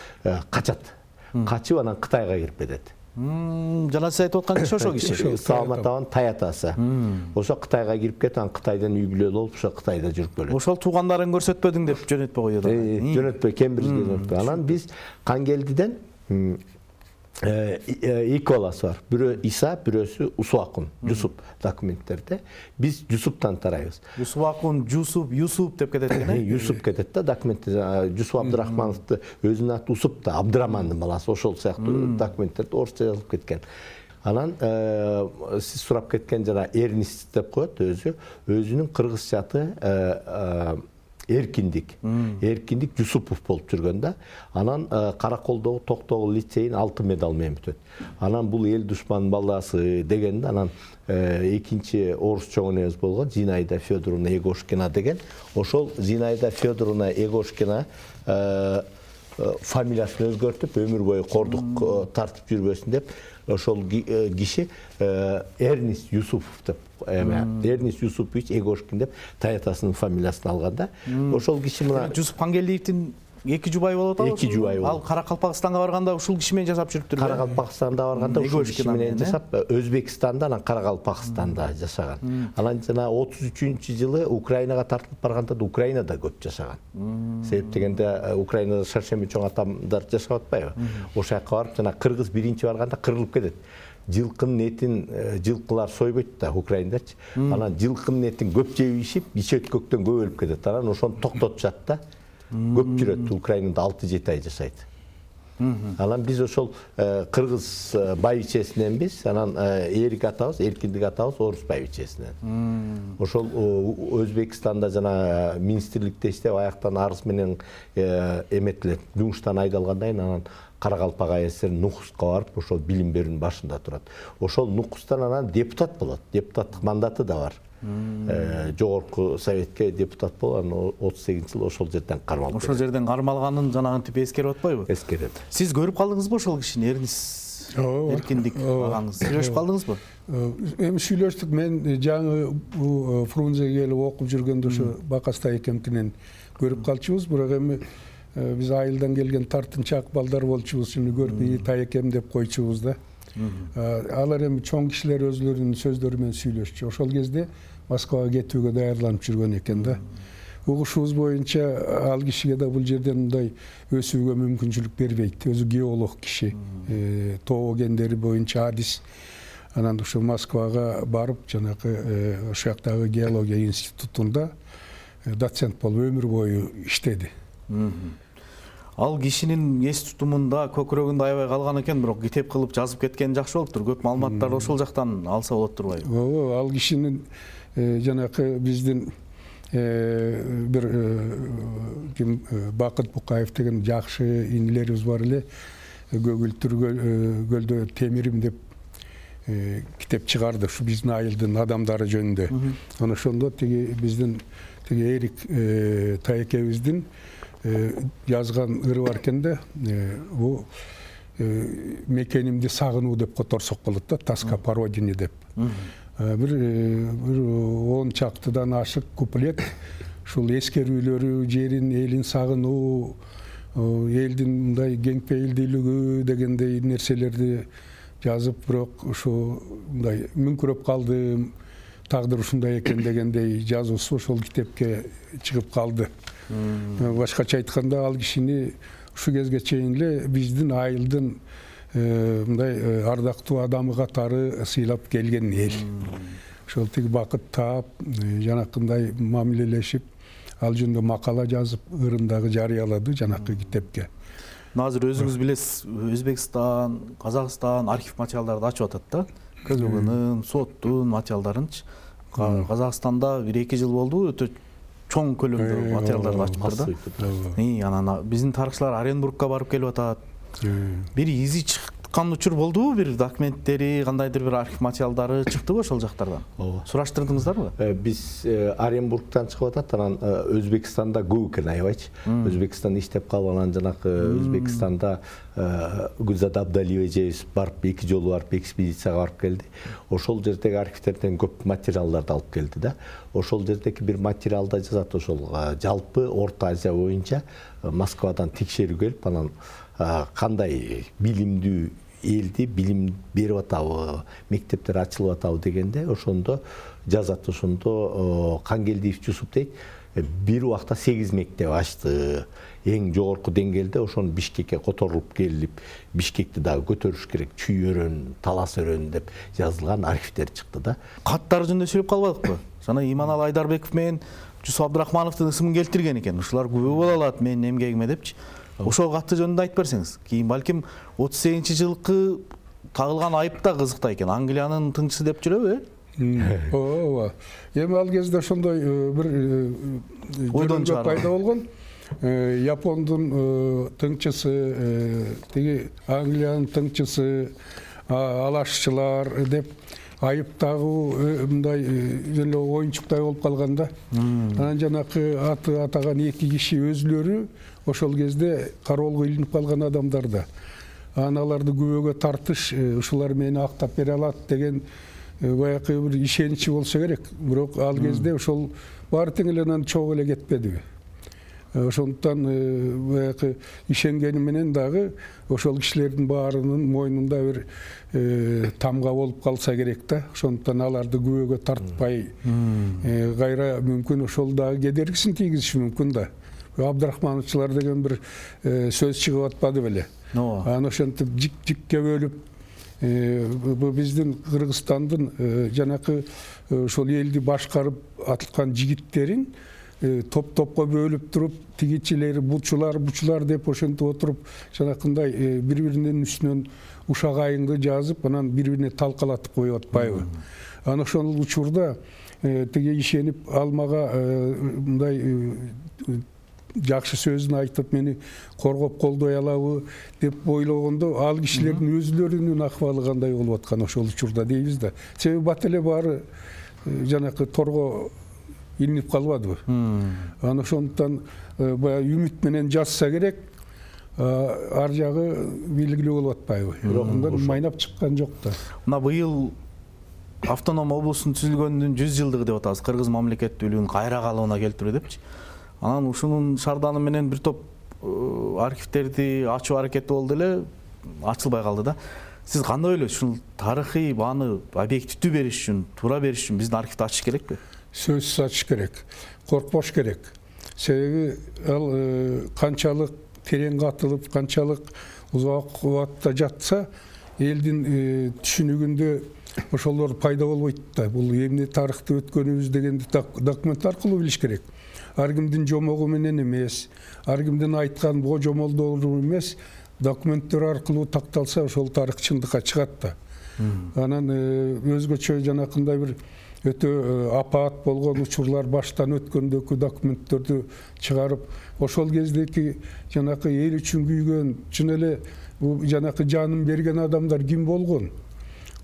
качат. Качып анан Кытайга кирип кетет. Жана сиз айтып аткан киши ошо киши. Салматовдун таятасы. Ошо Кытайга кирип кетип, анан Кытайдан үй бүлөлүү болуп, ошо Кытайда жүрүп келет. Ошол туугандарын көрсөтпөдүң деп жөнөтпөй коёт. Жөнөтпөй, Кембрижге жөнөтпөй. Анан биз Кангелдиден эки баласы бар. Бирөө Иса, бирөөсү Усуакун, Жусуп документтерде. Биз Жусуптан тарайбыз. Усуакун, Жусуп, Юсуп деп кетет экен. Юсуп кетет да документте. Жусуп Абдрахмановду өзүнүн аты Усуп да, Абдырамандын баласы, ошол сыяктуу документтерде орусча жазылып кеткен. Анан сиз сурап кеткен жана Эрнис деп коет өзүнүн кыргызча аты Эркиндик Жусупов болуп жүргөн да. Анан Караколдогу Токтогул лицейин алтын медал менен бүтөт. Анан бул эл душман баласы деген да. Анан экинчи орус чоң энебиз болгон Зинаида Федоровна Егошкина деген. Ошол Зинаида Федоровна Егошкина фамилиясын өзгөртүп, өмүр бою кордук тартып жүрбөсүн деп, ошол киши Эрнис Юсупов деп, Эрнис Юсупович Егошкин деп таятасынын фамилиясын алган да. Ошол киши мына Жусуп Кангелдиевдин эки жубайы болуп атабы? Эки жубайы болуп. Ал Каракалпакстанга барганда ушул киши менен жашап жүрүптүр. Каракалпакстанда барганда ушул киши менен жашап, Өзбекстанда, анан Каракалпакстанда жашаган. Анан жана 33-жылы Украинага тартылып барганда да Украинада көп жашаган. Себеп дегенде Украинада Шаршемби чоң атамдар жашап атпайбы? Ошол жака барып, жана кыргыз биринчи барганда кырылып кетет. Жылкынын этин жылкылар сойбойт да Украиндарчы. Анан жылкынын этин көп жеп ишип, ичөткөктөн көп өлүп кетет. Анан ошону токтотушат да. Көп жүрөт, Украинада 6-7 ай жашайт. Анан биз ошол кыргыз байбичесиненбиз, анан Эрик атабыз, Эркиндик атабыз орус байбичесинен. Ошол Өзбекстанда жана министрликте иштеп, аяктан арыз менен эметилет, жумуштан айдалгандан кийин анан Каракалпак АСР Нукуска барып, ошол билим берүүнүн башында турат. Ошол Нукустан анан депутат болот. Депутаттык мандаты да бар. Жогорку Советке депутат болуп, анан 38-жылы ошол жерден кармалып. Ошол жерден кармалганын жанагынтип эскерип атпайбы? Эскерет. Сиз көрүп калдыңызбы ошол кишини, Эрнис Эркиндик агаңыз? Сүйлөшүп калдыңызбы? Эми сүйлөштүк. Мен жаңы Фрунзеге келип окуп жүргөндө ошо Бакаста экенкинен көрүп калчубуз. Бирок эми биз айылдан келген тартынчаак балдар болчубуз, шуну көрүп Таекем деп койчубуз да. Алар эми чоң кишилер өзлөрүнүн сөздөрү менен сүйлөшчү. Ошол кезде Москвага кетүүгө даярданып жүргөн экен да. Угушубуз боюнча ал кишиге да бул жерден мындай өсүүгө мүмкүнчүлүк бербейт. Өзү геолог киши, тоо кендери боюнча адис. Анан ошо Москвага барып, жанагы ошол жактагы геология институтунда доцент болуп өмүр бою иштеди. Ал кишинин эс тутумунда көкүрөгүндө аябай калган экен, бирок китеп кылып жазып кеткен жакшы болуптур. Көп маалыматтарды ошол жактан алса болот турбайбы? Ооба, ал кишинин жанакы биздин бир ким Бакыт Букаев деген жакшы инилерибиз бар эле. Көгүлтүр көлдө темирим деп китеп чыгарды, ушу биздин айылдын адамдары жөнүндө. Ана ошондо биздин Эрик Таекебиздин жазган ыры бар экен да, бул мекенимди сагынуу деп которсок болот да, тоска по родине деп. Бир 10 чактыдан ашык куплет, ушул эскерүүлөрү, жерин, элин сагынуу, элдин мындай кең пейилдүүлүгү дегендей нерселерди жазып, бирок ушу мындай мүңкүрөп калдым, тагдыр ушундай экен дегендей жазуусу ошол китепке чыгып калды. Башкача айтканда, ал кишини ушу кезге чейин эле биздин айылдын мындай ардактуу адамы катары сыйлап келген эл. Ошол Бакыт таап, жанакындай мамилелешип, ал жөнүндө макала жазып, ырындагы жарыялады жанакы китепке. Азыр өзүңүз билесиз, Өзбекстан, Казакстан архив материалдарды ачып атат да. КГБнын, соттун материалдарынчы. Казакстанда 1-2 жыл болду, өтө чоң көлөмдө материалдарды ачыптыр да. Анан биздин тарыхчылар Оренбургка барып келип атат. Бир изи чыккан учур болдубу? Бир документтери, кандайдыр бир архив материалдары чыктыбы ошол жактардан? Сураштырдыңыздарбы? Биз Оренбургтан чыгып атат, анан Өзбекстанда көп экен аябайчы. Өзбекстанда иштеп калып, анан жанакы Өзбекстанда Гүлзат Абдалиева эжебиз барып 2 жолу барып экспедицияга барып келди. Ошол жердеги архивтерден көп материалдарды алып келди да. Ошол жердеги бир материалда жазат, ошол жалпы Орто Азия боюнча Москвадан текшерүү келип, анан кандай билимдүү элди билим берип атабы, мектептер ачылып атабы дегенде ошондо жазат. Ошондо Кангелдиев Жусуп дейт, бир убакта 8 мектеп ачты. Эң жогорку деңгээлде ошону Бишкекке которулуп келип, Бишкекти дагы көтөрүш керек, Чүй өрөн, Талас өрөн деп жазылган архивтер чыкты да. Каттар жөнүндө сөйлөп калбадыкпы? Жана Иманалы Айдарбеков менен Жусуп Абдрахмановдун ысымын келтирген экен. Ушулар күбө боло алат менин эмгегиме депчи. Ошол катты жөнүндө айтып берсеңиз. Кийин балким 38-жылкы тагылган айып да кызыкта экен. Англиянын тыңчысы деп жүрөбү? Ооба. Эми ал кезде ошондой бир ойдон пайда болгон. Япондун тыңчысы, Англиянын тыңчысы, алашчылар деп айып тагуу мындай эле оюнчуктай болуп калганда. Анан жанакы аты атаган 2 киши өзүлөрү ошол кезде кароолго илинип калган адамдар да. Аларды күбөгө тартыш, ушулар мени актап бере алат деген баягы бир ишеничи болсо керек. Бирок ал кезде ошол баары тең эле анан чогуу эле кетпедиби. Ошондуктан баягы ишенгени менен дагы ошол кишилердин баарынын мойнунда бир тамга болуп калса керек да. Ошондуктан аларды күбөгө тартпай кайра мүмкүн ошол дагы кедергисин тийгизиши мүмкүн да. Абдрахмановчулар деген бир сөз чыгып атпады беле. Анан ошентип жик-жикке бөлүп биздин Кыргызстандын жанакы ошол элди башкарып атылган жигиттерин топ-топко бөлүп туруп, тигичилери бучулар деп ошентип отуруп, жанакындай бири-биринин үстүнөн ушак айыңды жазып, анан бири-бирине талкалатып коюп атпайбы. Анан ошол учурда ишенип алмага мындай жакшы сөзүн айтып, мени коргоп колдой алабы деп ойлогондо, ал кишилердин өзүлөрүнүн акыбалы кандай болуп аткан ошол учурда дейбиз да. Себеби бат эле баары жанакы торго илинип калбадыбы. Анан ошондуктан баягы үмүт менен жазса керек, ар жагы белгилүү болуп атпайбы. Бирок мындан майнап чыккан жок да. Мына быйыл автоном облустун түзүлгөнүнүн 100 жылдыгы деп атабыз. Кыргыз мамлекеттүүлүгүнүн кайра калыбына келтирүү депчи. Анан ушунун шарданы менен бир топ архивтерди ачуу аракети болду эле, ачылбай калды да. Сиз кандай ойлойсуз? Ушул тарыхый бааны объективдүү бериш үчүн, туура бериш үчүн биздин архивди ачыш керекпи? Сөзсүз ачыш керек. Коркпош керек. Себеби ал канчалык терең катылып, канчалык узак убакытта жатса, элдин түшүнүгүндө ошолор пайда болбойт да. Бул эмне тарыхта өткөнүбүз дегенди документ аркылуу билиш керек. Ар кимдин жомогу менен эмес, ар кимдин айткан жомолдору эмес, документтер аркылуу такталса ошол тарых чындыкка чыгат да. Анан өзгөчө жанакындай бир өтө апаат болгон учурлар баштан өткөндөгү документтерди чыгарып, ошол кездеки жанакы эл үчүн күйгөн, чын эле жанакы жанын берген адамдар ким болгон,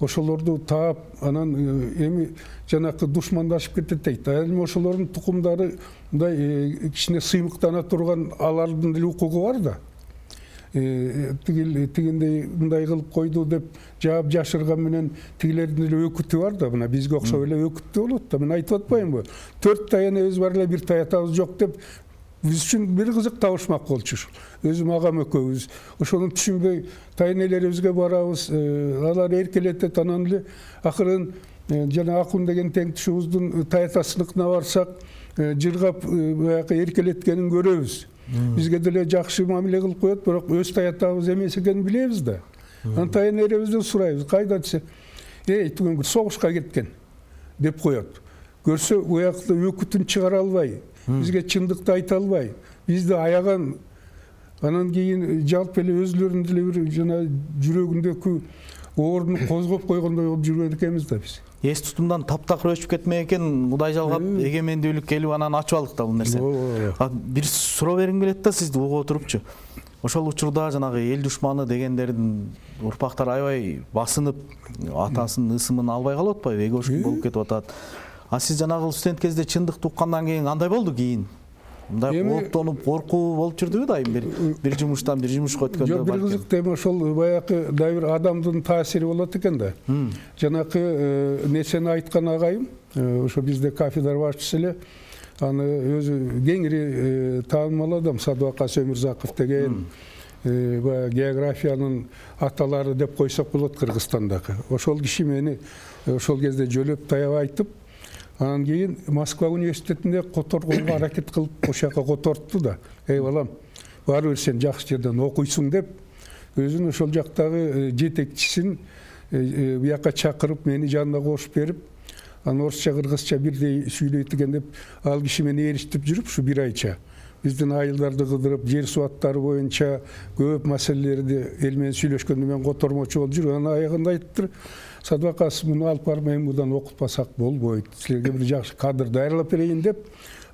ошолорду таап, анан эми жанакы душмандашып кетет дейт. Эми ошолордун тукумдары мындай кичине сыймыктана турган, алардын деле укугу бар да. Тигиндей мындай кылып койду деп жаап жашырган менен тигилердин эле өкүтү бар да. Мына бизге окшоп эле өкүттүү болот да. Мен айтып атпаймынбы? 4 таяныбыз бар эле, 1 таятабыз жок деп биз үчүн бир кызык табышмак болчу. Өзүм агам экөөбүз ошону түшүнбөй тайнелерибизге барабыз, алар эркелетет, анан эле акырын жана Акун деген теңтишибиздин таятасыныкына барсак, жыргап баягы эркелеткенин көрөбүз. Бизге деле жакшы мамиле кылып коет, бирок өз таятабыз эмес экенин билебиз да. Анан тайнелерибизден сурайбыз, кайда десе, түгөнгү согушка кеткен деп коет. Көрсө уякта өкүтүн чыгара албай, бизге чындыкты айта албай, бизди аяган, анан кийин жалпы эле өзүлөрүнүн деле бир жана жүрөгүндөгү оорун козгоп койгондой болуп жүргөн экенбиз да биз. Эс тутумдан таптакыр өчүп кетмек экен, Кудай жалгап эгемендүүлүк келип анан ачып алдык да бул нерсе. Бир суроо бергим келет да сизди угуп отурупчу. Ошол учурда жанагы эл душманы дегендердин урпактары аябай басынып, атасынын ысымын албай калып атпайбы, эгошкун болуп кетип атат. А сиз жанагы студент кезде чындыкты уккандан кийин кандай болду кийин? Мындай кооптонуп, коркуу болуп жүрдүбү дайым бир жумуштан бир жумушка өткөндө? Жок, бир кызык эми ошол баягы дагы бир адамдын таасири болот экен да. Жанакы несени айткан агайым, ошо бизде кафедра башчысы эле, аны өзү кеңири таанымал адам, Садыбакас Өмүрзаков деген, баягы географиянын аталары деп койсок болот Кыргызстандагы. Ошол киши мени ошол кезде жөлөп таяп айтып, анан кийин Москва университетинде которгонго аракет кылып ошол жака котортду да. Балам, баары бир сен жакшы жерден окуйсуң деп, өзүнүн ошол жактагы жетекчисин буяка чакырып, мени жанына кошуп берип, анан орусча, кыргызча бирдей сүйлөйт экен деп, ал киши мени ээрчитип жүрүп, ушу бир айча биздин айылдарды кыдырып, жер суу аттары боюнча көп маселелерди эл менен сүйлөшкөндө мен котормочу болуп жүрүп, анан аягында айтыптыр, Садыбакас, муну алып барып мен мындан окутпасак болбойт, силерге бир жакшы кадр даярдап берейин деп,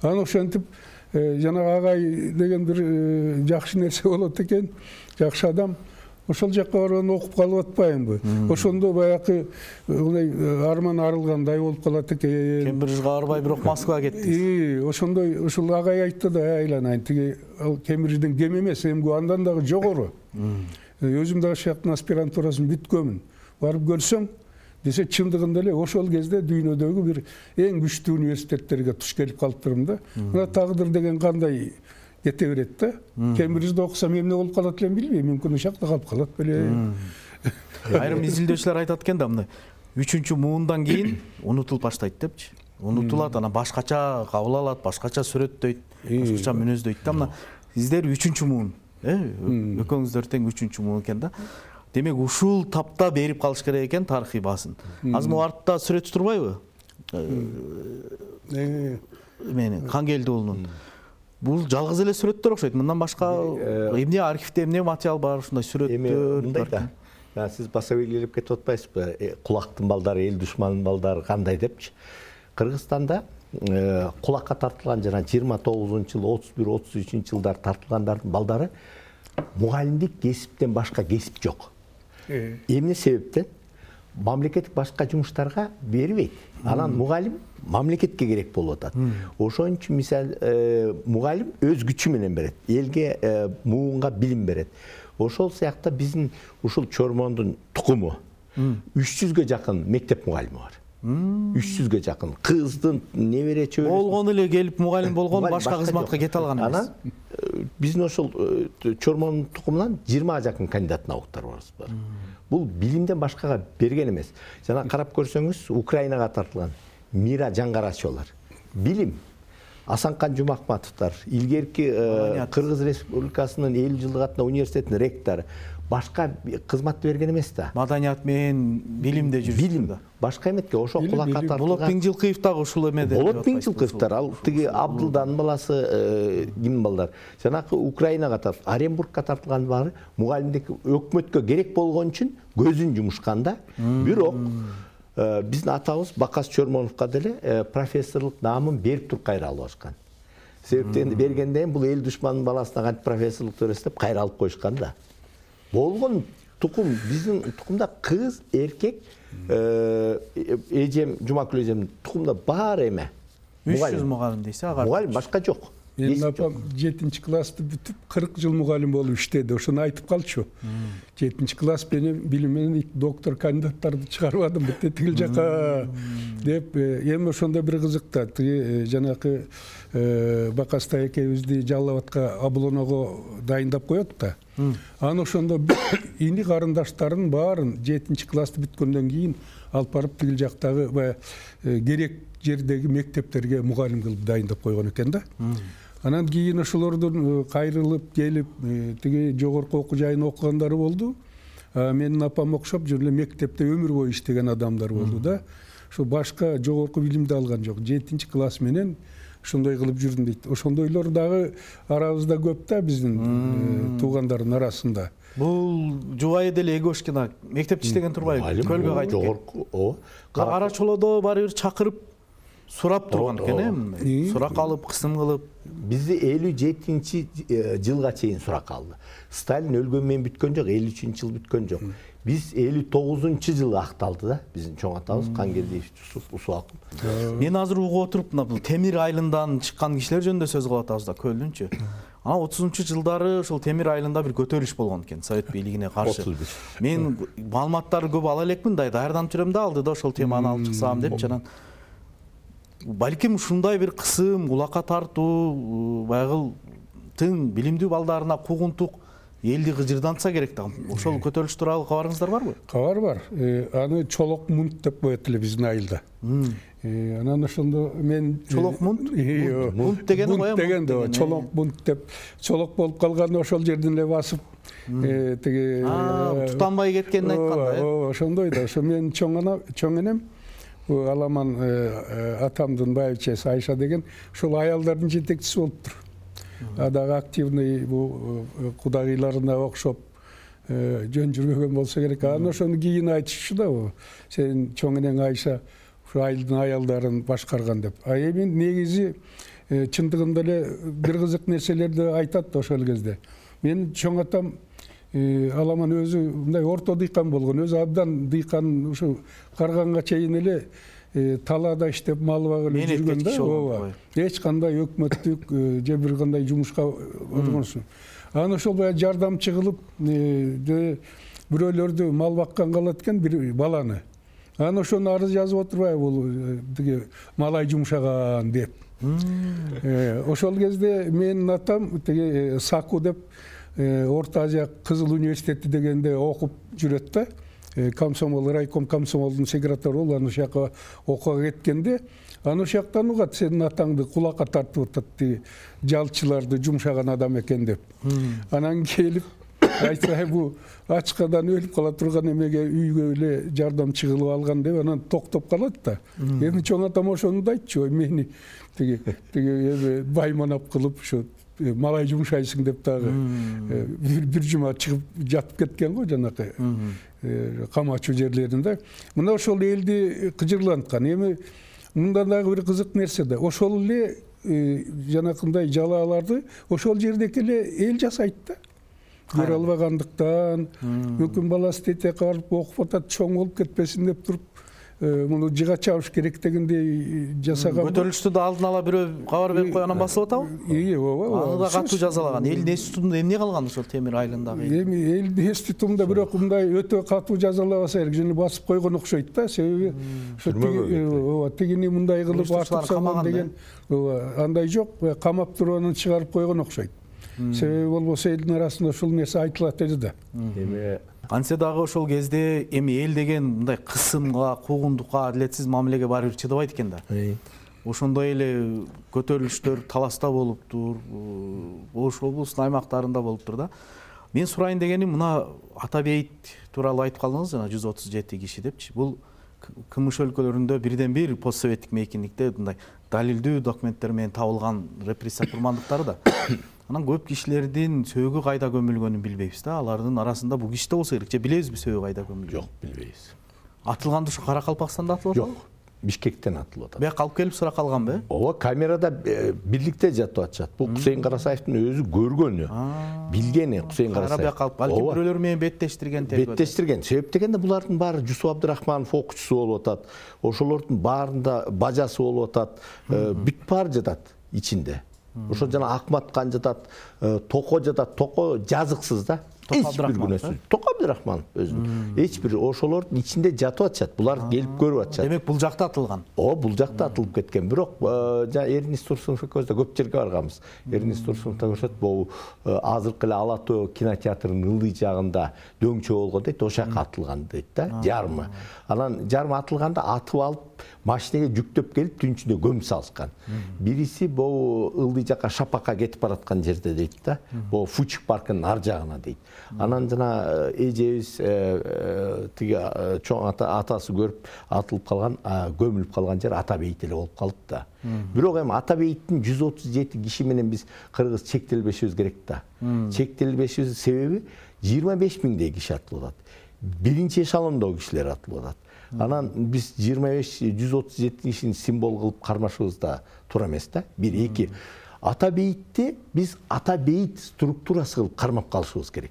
анан ошентип жанагы агай деген бир жакшы нерсе болот экен, жакшы адам. Ошол жакка барып окуп калып атпаймынбы? Ошондо баягы арман арылгандай болуп калат экен. Кембриджге барбай бирок Москвага кеттиңиз. Ошондой, ошол агай айтты да, айланайын, тиги Кембриджден кем эмес, эмгүү андан дагы жогору. Өзүм дагы ошол аспирантурасын бүткөнмүн. Барып көрсөң, десе чындыгында эле ошол кезде дүйнөдөгү бир эң күчтүү университеттерге туш келип калыптырмын да. Мына тагдыр деген кандай кете берет да. Кембриджде окусам эмне болуп калат элем билбейм, мүмкүн ошол жакта калып калат беле. Айрым изилдөөчүлөр айтат экен да, мындай 3-чү муундан кийин унутулуп баштайт депчи. Унутулат, анан башкача кабыл алат, башкача сүрөттөйт, башкача мүнөздөйт да. Мына сиздер 3-чү муун, экөөңүздөр тең 3-чү муун экен да. Демек ушул тапта берип калыш керек экен тарыхый баасын. Азыр могу артта сүрөт турбайбы? Мени Кангелди уулунун. Бул жалгыз эле сүрөттөр окшойт. Мындан башка эмне архивде эмне материал бар, ушундай сүрөттөр? Мындай да. Сиз баса белгилеп кетип атпайсызбы? Кулактын балдары, эл душманынын балдары кандай депчи. Кыргызстанда кулакка тартылган жана 29-жыл, 31-33 жылдар тартылгандардын балдары мугалимдик кесиптен башка кесип жок. Эмне себептен? Мамлекеттик башка жумуштарга бербейт. Анан мугалим мамлекетке керек болуп атат. Ошон үчүн мисал мугалим өз күчү менен берет, элге муунга билим берет. Ошол сыяктуу биздин ушул Чормондун тукуму 300гө жакын мектеп мугалими бар. 300гө жакын кыздын небере чөбөрөсү болгон эле келип мугалим болгон, башка кызматка кете алган эмес. Анан биздин ошол Чормондун тукумунан 20га жакын кандидат науктарыбыз бар. Бул билимден башкага берген эмес. Жана карап көрсөңүз, Украинага тартылган Мира Жаңгарачолор. Билим. Асанкан Жумахматовдор, илгерки Кыргыз Республикасынын 50 жылдык атына университетинин ректору. башка кызмат берген эмес да. Маданият менен билимде жүрүштү. Билим башка эметке ошо кулакка тартылган. Болот Миңжилкыев дагы ушул эмеде. Болот Миңжилкыевдер, ал тиги Абдылданын баласы ким балдар. Жанакы Украинага тартып, Оренбургка тартылган баары мугалимдик өкмөткө керек болгон үчүн көзүн жумушкан да. Бирок биздин атабыз Бакас Чормоновго деле профессорлук наамын берип туруп кайра алып алышкан. Себептен бергенден кийин бул эл душманынын баласына кантип профессорлук бересиз деп кайра алып коюшкан да. Болгон тукум биздин тукумда кыз, эркек, эжем, Жумакүл эжемдин тукумда баары эме. 300 мугалим дейсиз, ага. Мугалим башка жок. Менин апам 7-классты бүтүп 40 жыл мугалим болуп иштеди. Ошону айтып калчу. 7-класс менен билим менен доктор кандидаттарды чыгарбадым битте тигил жака деп. Эми ошондо бир кызык да. Тиги жанакы Бакастай экебизди Жалал Абадка облоного дайындап коет да. Аны ошондо ини карындаштарын баарын 7-классты бүткөндөн кийин алып барып тигил жактагы баягы керек жердеги мектептерге мугалим кылып дайындап койгон экен да. Анан кийин ошолордун кайрылып келип тиги жогорку окуу жайын окугандары болду. Менин апам окшоп жөн эле мектепте өмүр бою иштеген адамдар болду да. Ошо башка жогорку билимди алган жок. 7-класс менен ошондой кылып жүрдүм дейт. Ошондойлор дагы арабызда көп да биздин туугандардын арасында. Бул Жубай деле Эгошкина мектепте иштеген турбайбы? Көлгө кайтып жогорку. Кара чолодо баары бир чакырып сурап турган экен, сурак алып, кысым кылып. Бизди 57-жылга чейин сурак алды. Сталин өлгөн менен бүткөн жок, 53-жыл бүткөн жок. Биз 59-жылы акталды да, биздин чоң атабыз Кангелдиев Усуаков. Мен азыр угуп отуруп, бул Темир айылынан чыккан кишилер жөнүндө сөз кылып атабыз да, Көлдүнчү. Ана 30-жылдары ошол Темир айылында бир көтөрүлүш болгон экен Совет бийлигине каршы. Мен маалыматтарды көп ала элекмин да, даярданып жүрөм да, алды да ошол теманы алып чыксам деп жанан. Балким ушундай бир кысым, кулакка тартуу, баягы тың билимдүү балдарына куугунтук элди кыжырдантса керек да. Ошол көтөрүлүш тууралуу кабарыңыздар барбы? Кабар бар. Аны Чолок мунт деп коет эле биздин айылда. Анан ошондо мен Чолок мунт? Мунт деген коем. Деген да Чолок мунт деп чолок болуп калган ошол жерден эле басып тиги тутанбай кеткенин айткан да. Ошондой да. Ошо мен чоң энем Аламан атамдын байбичеси Айша деген ошол аялдардын жетекчиси болуптур. Дагы активный бул кудагыйларына окшоп жөн жүрбөгөн болсо керек. Аны ошону кийин айтышчу да, сенин чоң энең Айша ушу айылдын аялдарын башкарган деп. Эми негизи чындыгында эле бир кызык нерселерди айтат ошол кезде. Менин чоң атам Аламан өзү мындай орто дыйкан болгон, өзү абдан дыйкан, ушу карганга чейин эле талаада иштеп мал багып жүргөн да. Эч кандай өкмөттүк же бир кандай жумушка болгонсуң. Аны ошол баягы жардамчы кылып бирөөлөрдү мал баккан калат экен бир баланы. Аны ошону арыз жазып отурбайбы бул тиги малай жумшаган деп. Ошол кезде менин атам тиги Саку деп Орто Азия Кызыл университети дегенде окуп жүрөт да. Комсомол, райком комсомолдун секретары болуп, аны ошака окууга кеткенде, аны ошактан угат сенин атаңды кулакка тартып атат, жалчыларды жумшаган адам экен деп. Анан келип айтса, бу ачкадан өлүп кала турган эмеге үйгө эле жардамчы кылып алган деп, анан токтоп калат да. Эми чоң атам ошону да айтчу, мени тиги байманап кылып ушу малай жумшайсың деп дагы бир жума чыгып жатып кеткен го жанакы камачуу жерлеринде. Мына ошол элди кыжырланткан. Эми мында дагы бир кызык нерсе да. Ошол эле жанакындай жалааларды ошол жердеки эле эл жасайт да. Көрө албагандыктан, мүмкүн баласы тете карып окуп атат, чоң болуп кетпесин деп туруп, муну жыга чабыш керек дегендей жасаган. Көтөрүлүштү да алдын ала бирөө кабар берип койгонан басып атабы? Ооба. Аны да катуу жазалаган. Элдин эс тутумунда эмне калган ошол Темир айылындагы? Эми элдин эс тутумунда бирок мындай өтө катуу жазалабаса керек, жөн басып койгон окшойт да. Себеби тигини мындай кылып атып салган деген андай жок, камап туруп анан чыгарып койгон окшойт. Себеби болбосо элдин арасында ушул нерсе айтылат эди да. Эми Кантсе дагы ошол кезде эми эл деген мындай кысымга, куугунтукка, адилетсиз мамилеге баары бир чыдабайт экен да. Ошондой эле көтөрүлүштөр таласта болуптур, Ош облусунун аймактарында болуптур да. Мен сурайын дегеним мына ата бейит тууралуу айтып калдыңыз жана 137 киши депчи. Бул КМШ өлкөлөрүндө бирден бир постсоветтик мейкиндикте мындай далилдүү документтер менен табылган репрессия курмандыктары да. Анан көп кишилердин сөөгү кайда көмүлгөнүн билбейбиз да. Алардын арасында бул киши да болсо керек. Же билебизби сөөгү кайда көмүлгөнүн? Жок, билбейбиз. Атылганды ушу Каракалпакстанда атылып атабы? Жок. Бишкектен атылып атат. Бияка алып келип сурак алганбы? Ооба, камерада бирликте жатып атышат. Бул Кусейин Карасаевдин өзү көргөнү, билгени Кусейин Карасаев. Бияка алып, балким бирөөлөр менен беттештирген тергөө. Беттештирген. Себеп дегенде булардын баары Жусуп Абдрахманов окуучусу болуп атат. Ошолордун баарында бажасы болуп атат. Бүт баары жатат ичинде. Ошо жана Акмат кан жатат, Токо жатат. Токо жазыксыз да. Эч бир күнөөсүз. Токо Абдрахманов өзү. Эч бир ошолордун ичинде жатып атышат. Булар келип көрүп атышат. Демек бул жакта атылган. Бул жакта атылып кеткен. Бирок жана Эрнест Турсунов экөөбүз да көп жерге барганбыз. Эрнест Турсунов да көрсөт, бул азыркы эле Ала Тоо кинотеатрынын ылдый жагында дөңчө болгон дейт, ошол жака атылган дейт да, жарымы. Анан жарымы атылганда атып алып машинеге жүктөп келип түн ичинде көмүп салышкан. Бириси бул ылдый жака Шапакка кетип бараткан жерде дейт да. Бул Фучик паркынын ар жагына дейт. Анан жана эжебиз тиги чоң атасы көрүп атылып калган, көмүлүп калган жер Ата бейит эле болуп калды да. Бирок эми Ата бейиттин 137 киши менен биз кыргыз чектелбешибиз керек да. Чектелбешибиздин себеби 25 миңдей киши атылып атат. Биринчи эшелондогу кишилер атылып атат. Анан биз 137 кишини символ кылып кармашыбыз да туура эмес да. Бир, эки. Ата бейитти биз Ата бейит структурасы кылып кармап калышыбыз керек.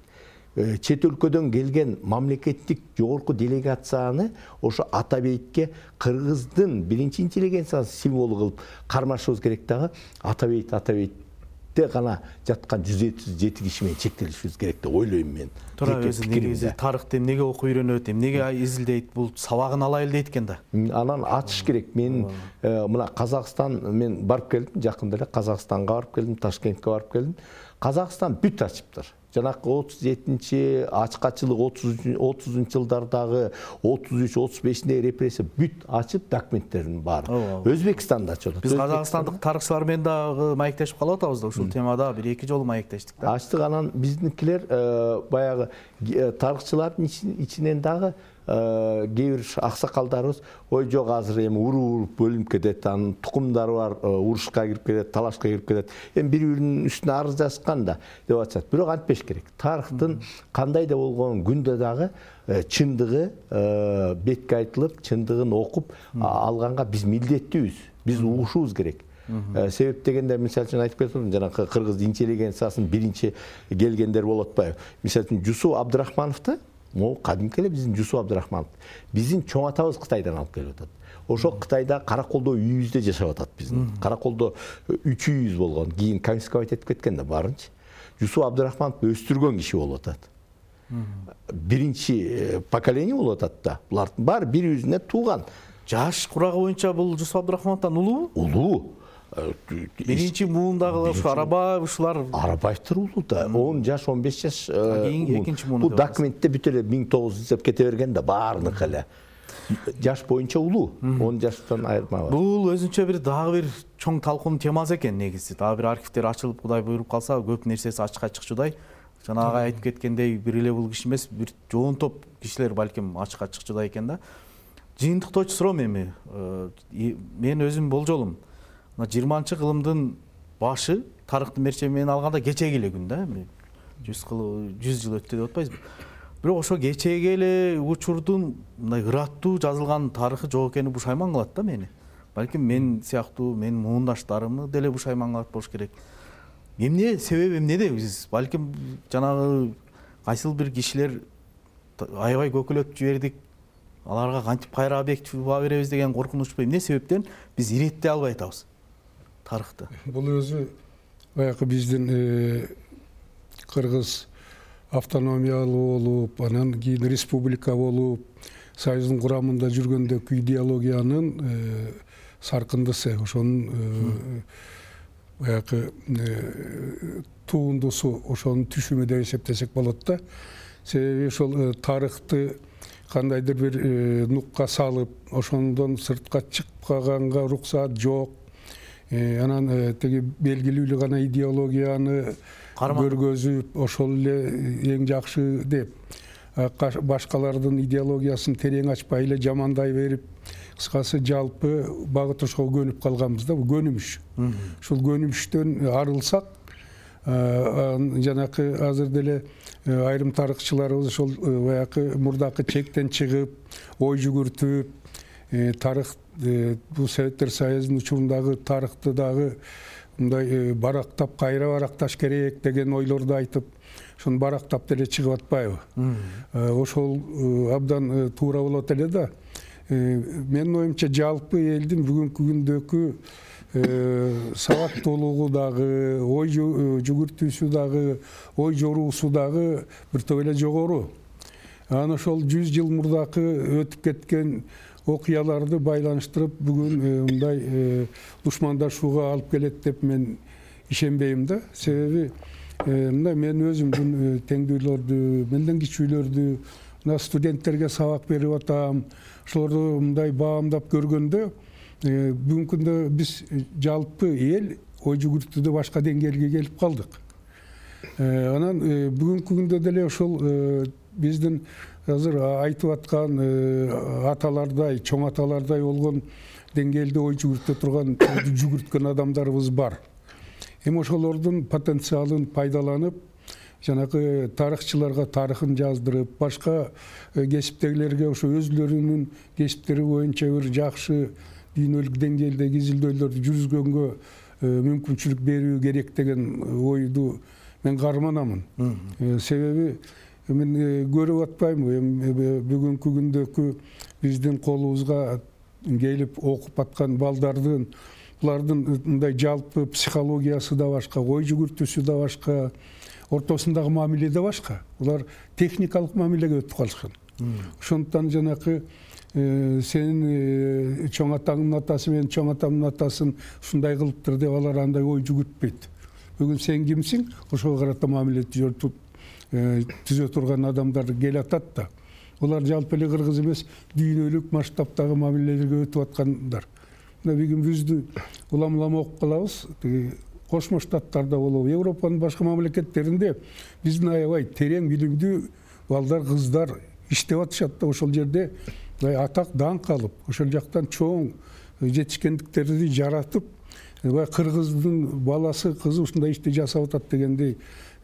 Чет өлкөдөн келген мамлекеттик жогорку делегацияны ошо Ата бейитке кыргыздын биринчи интеллигенциясын символу кылып кармашыбыз керек дагы. Ата бейтте гана жаткан 137 киши менен чектелишибиз керек деп ойлойм мен. Туура, өзү негизи тарыхты эмнеге окуп үйрөнөт, эмнеге изилдейт, бул сабагын алайлы дейт экен да. Анан ачыш керек. Мен мына Казакстан, мен барып келдим, жакында эле Казакстанга барып келдим, Ташкентке барып келдим. Казакстан бүт ачыптыр. Жанакы 37-чи ачкачылык 30-жылдардагы 33-35-тиндеги репрессия бүт ачып документтерин бар. Өзбекстанда ачып атат. Биз казакстандык тарыхчылар менен дагы маектешип калып атабыз да, ушул темада 1-2 жолу маектештик да. Ачтык. Анан биздикилер баягы тарыхчылардын ичинен дагы кээ бир аксакалдарыбыз ой жок азыр эми уруп бөлүнүп кетет, анын тукумдары бар, урушка кирип кетет, талашка кирип кетет. Эми бири-биринин үстүнө арыз жазышкан да деп атышат. Бирок антпеш керек. Тарыхтын кандай да болгон күндө дагы чындыгы бетке айтылып, чындыгын окуп алганга биз милдеттүүбүз. Биз угушубуз керек. Себеп дегенде мисалы үчүн айтып кетем, жанакы кыргыз интеллигенциясынын биринчи келгендер болуп атпайбы? Мисалы үчүн Жусуп Абдрахмановду, могу кадимки эле биздин Жусуп Абдрахманов. Биздин чоң атабыз Кытайдан алып келип атат. Ошо Кытайда Караколдо үйүбүздө жашап атат биздин. Караколдо 3 үйүбүз болгон. Кийин конфисковать этип кеткен да баарынчы. Жусуп Абдрахмановду өстүргөн киши болуп атат. Биринчи поколение болуп атат да. Булардын баары бири-биринен тууган. Жаш курагы боюнча бул Жусуп Абдрахмановдон улуубу? Улуу. Биринчи муундагы ушу Арабаев ушулар. Арабаевдер улуу да. 10 жаш, 15 жаш. Кийин экинчи муунда. Бул документте бүт эле 1900 деп кете берген да баарыныкы эле. Жаш боюнча улуу. 10 жаштан айырма бар. Бул өзүнчө дагы бир чоң талкуунун темасы экен негизи. Дагы бир архивдер ачылып, Кудай буйруп калса, көп нерсеси ачыкка чыкчудай. Жанагы айтып кеткендей, бир эле бул киши эмес, бир жоон топ кишилер балким ачыкка чыкчудай экен да. Жыйынтыктоочу суроом эми. Мен өзүм болжолум. 20-кылымдын башы тарыхтын мерчеби менен алганда кечеги эле күн да. 100 жыл өттү деп атпайбызбы? Бирок ошо кечеги эле учурдун мындай ыраттуу жазылган тарыхы жок экени бушайман кылат да мени. Балким мен сыяктуу, менин муундаштарымы деле бушайман кылат болуш керек. Эмне себеби эмнеде биз? Балким жанагы кайсыл бир кишилер аябай көкөлөтүп жибердик. Аларга кантип кайра объектив баа беребиз деген коркунучпу? Эмне себептен биз иреттей албай атабыз тарыхты? Бул өзү баягы биздин кыргыз автономиялуу болуп, анан кийин республика болуп, союздун курамында жүргөндөгү идеологиянын саркындысы, ошонун баягы туундусу, ошонун түшүмү деп эсептесек болот да. Себеби ошол тарыхты кандайдыр бир нукка салып, ошондон сыртка чыкпаганга уруксаат жок. Анан теги белгилүү гана идеологияны көргөзүп ошол эле эң жакшы деп башкалардын идеологиясын терең ачпай эле жамандай берип, кыскасы жалпы багыт ошого көнүп калганбыз да, бул көнүмүш. Ушул көнүмүштөн арылсак, жанакы азыр деле айрым тарыхчыларыбыз ошол баягы мурдакы чектен чыгып, ой жүгүртүп, тарых бул Советтер Союзунун учурундагы тарыхты дагы мындай барактап, кайра баракташ керек деген ойлорду айтып, ошону барактап деле чыгып атпайбы? Ошол абдан туура болот эле да. Менин оюмча жалпы элдин бүгүнкү күндөгү сабаттуулугу дагы, ой жүгүртүүсү дагы, ой жоруусу дагы бир топ эле жогору. Анан ошол 100 жыл мурдакы өтүп кеткен окуяларды байланыштырып бүгүн мындай душмандашууга алып келет деп мен ишенбейм да. Себеби мына мен өзүмдүн теңдүүлөрдү, менден кичүүлөрдү, мына студенттерге сабак берип атам, ошолорду мындай баамдап көргөндө бүгүнкү күндө биз жалпы эл ой жүгүртүүдө башка деңгээлге келип калдык. Анан бүгүнкү күндө деле ошол биздин азыр айтып аткан аталардай, чоң аталардай болгон деңгээлде ой жүгүртө турган, жүгүрткөн адамдарыбыз бар. Эми ошолордун потенциалын пайдаланып, жанагы тарыхчыларга тарыхын жаздырып, башка кесиптегилерге ошо өзүлөрүнүн кесиптери боюнча бир жакшы дүйнөлүк деңгээлдеги изилдөөлөрдү жүргүзгөнгө мүмкүнчүлүк берүү керек деген ойду мен карманамын. Себеби мен көрүп атпаймынбы, эми бүгүнкү күндөгү биздин колубузга келип окуп аткан балдардын, булардын мындай жалпы психологиясы да башка, ой жүгүртүүсү да башка, ортосундагы мамиле да башка. Булар техникалык мамилеге өтүп калышкан. Ошондуктан жанакы сенин чоң атаңдын атасы менен чоң атамдын атасын ушундай кылыптыр деп алар андай ой жүгүртпөйт. Бүгүн сен кимсиң? Ошого карата мамиле түзө турган адамдар келе атат да. Булар жалпы эле кыргыз эмес, дүйнөлүк масштабтагы мамилелерге өтүп аткандар. Мына бүгүн биздин улам окуп калабыз. Кошмо Штаттарда болобу, Европанын башка мамлекеттеринде биздин аябай терең билимдүү балдар, кыздар иштеп атышат да, ошол жерде атак даңк алып, ошол жактан чоң жетишкендиктерди жаратып, кыргыздын баласы, кызы ушундай ишти жасап атат дегендей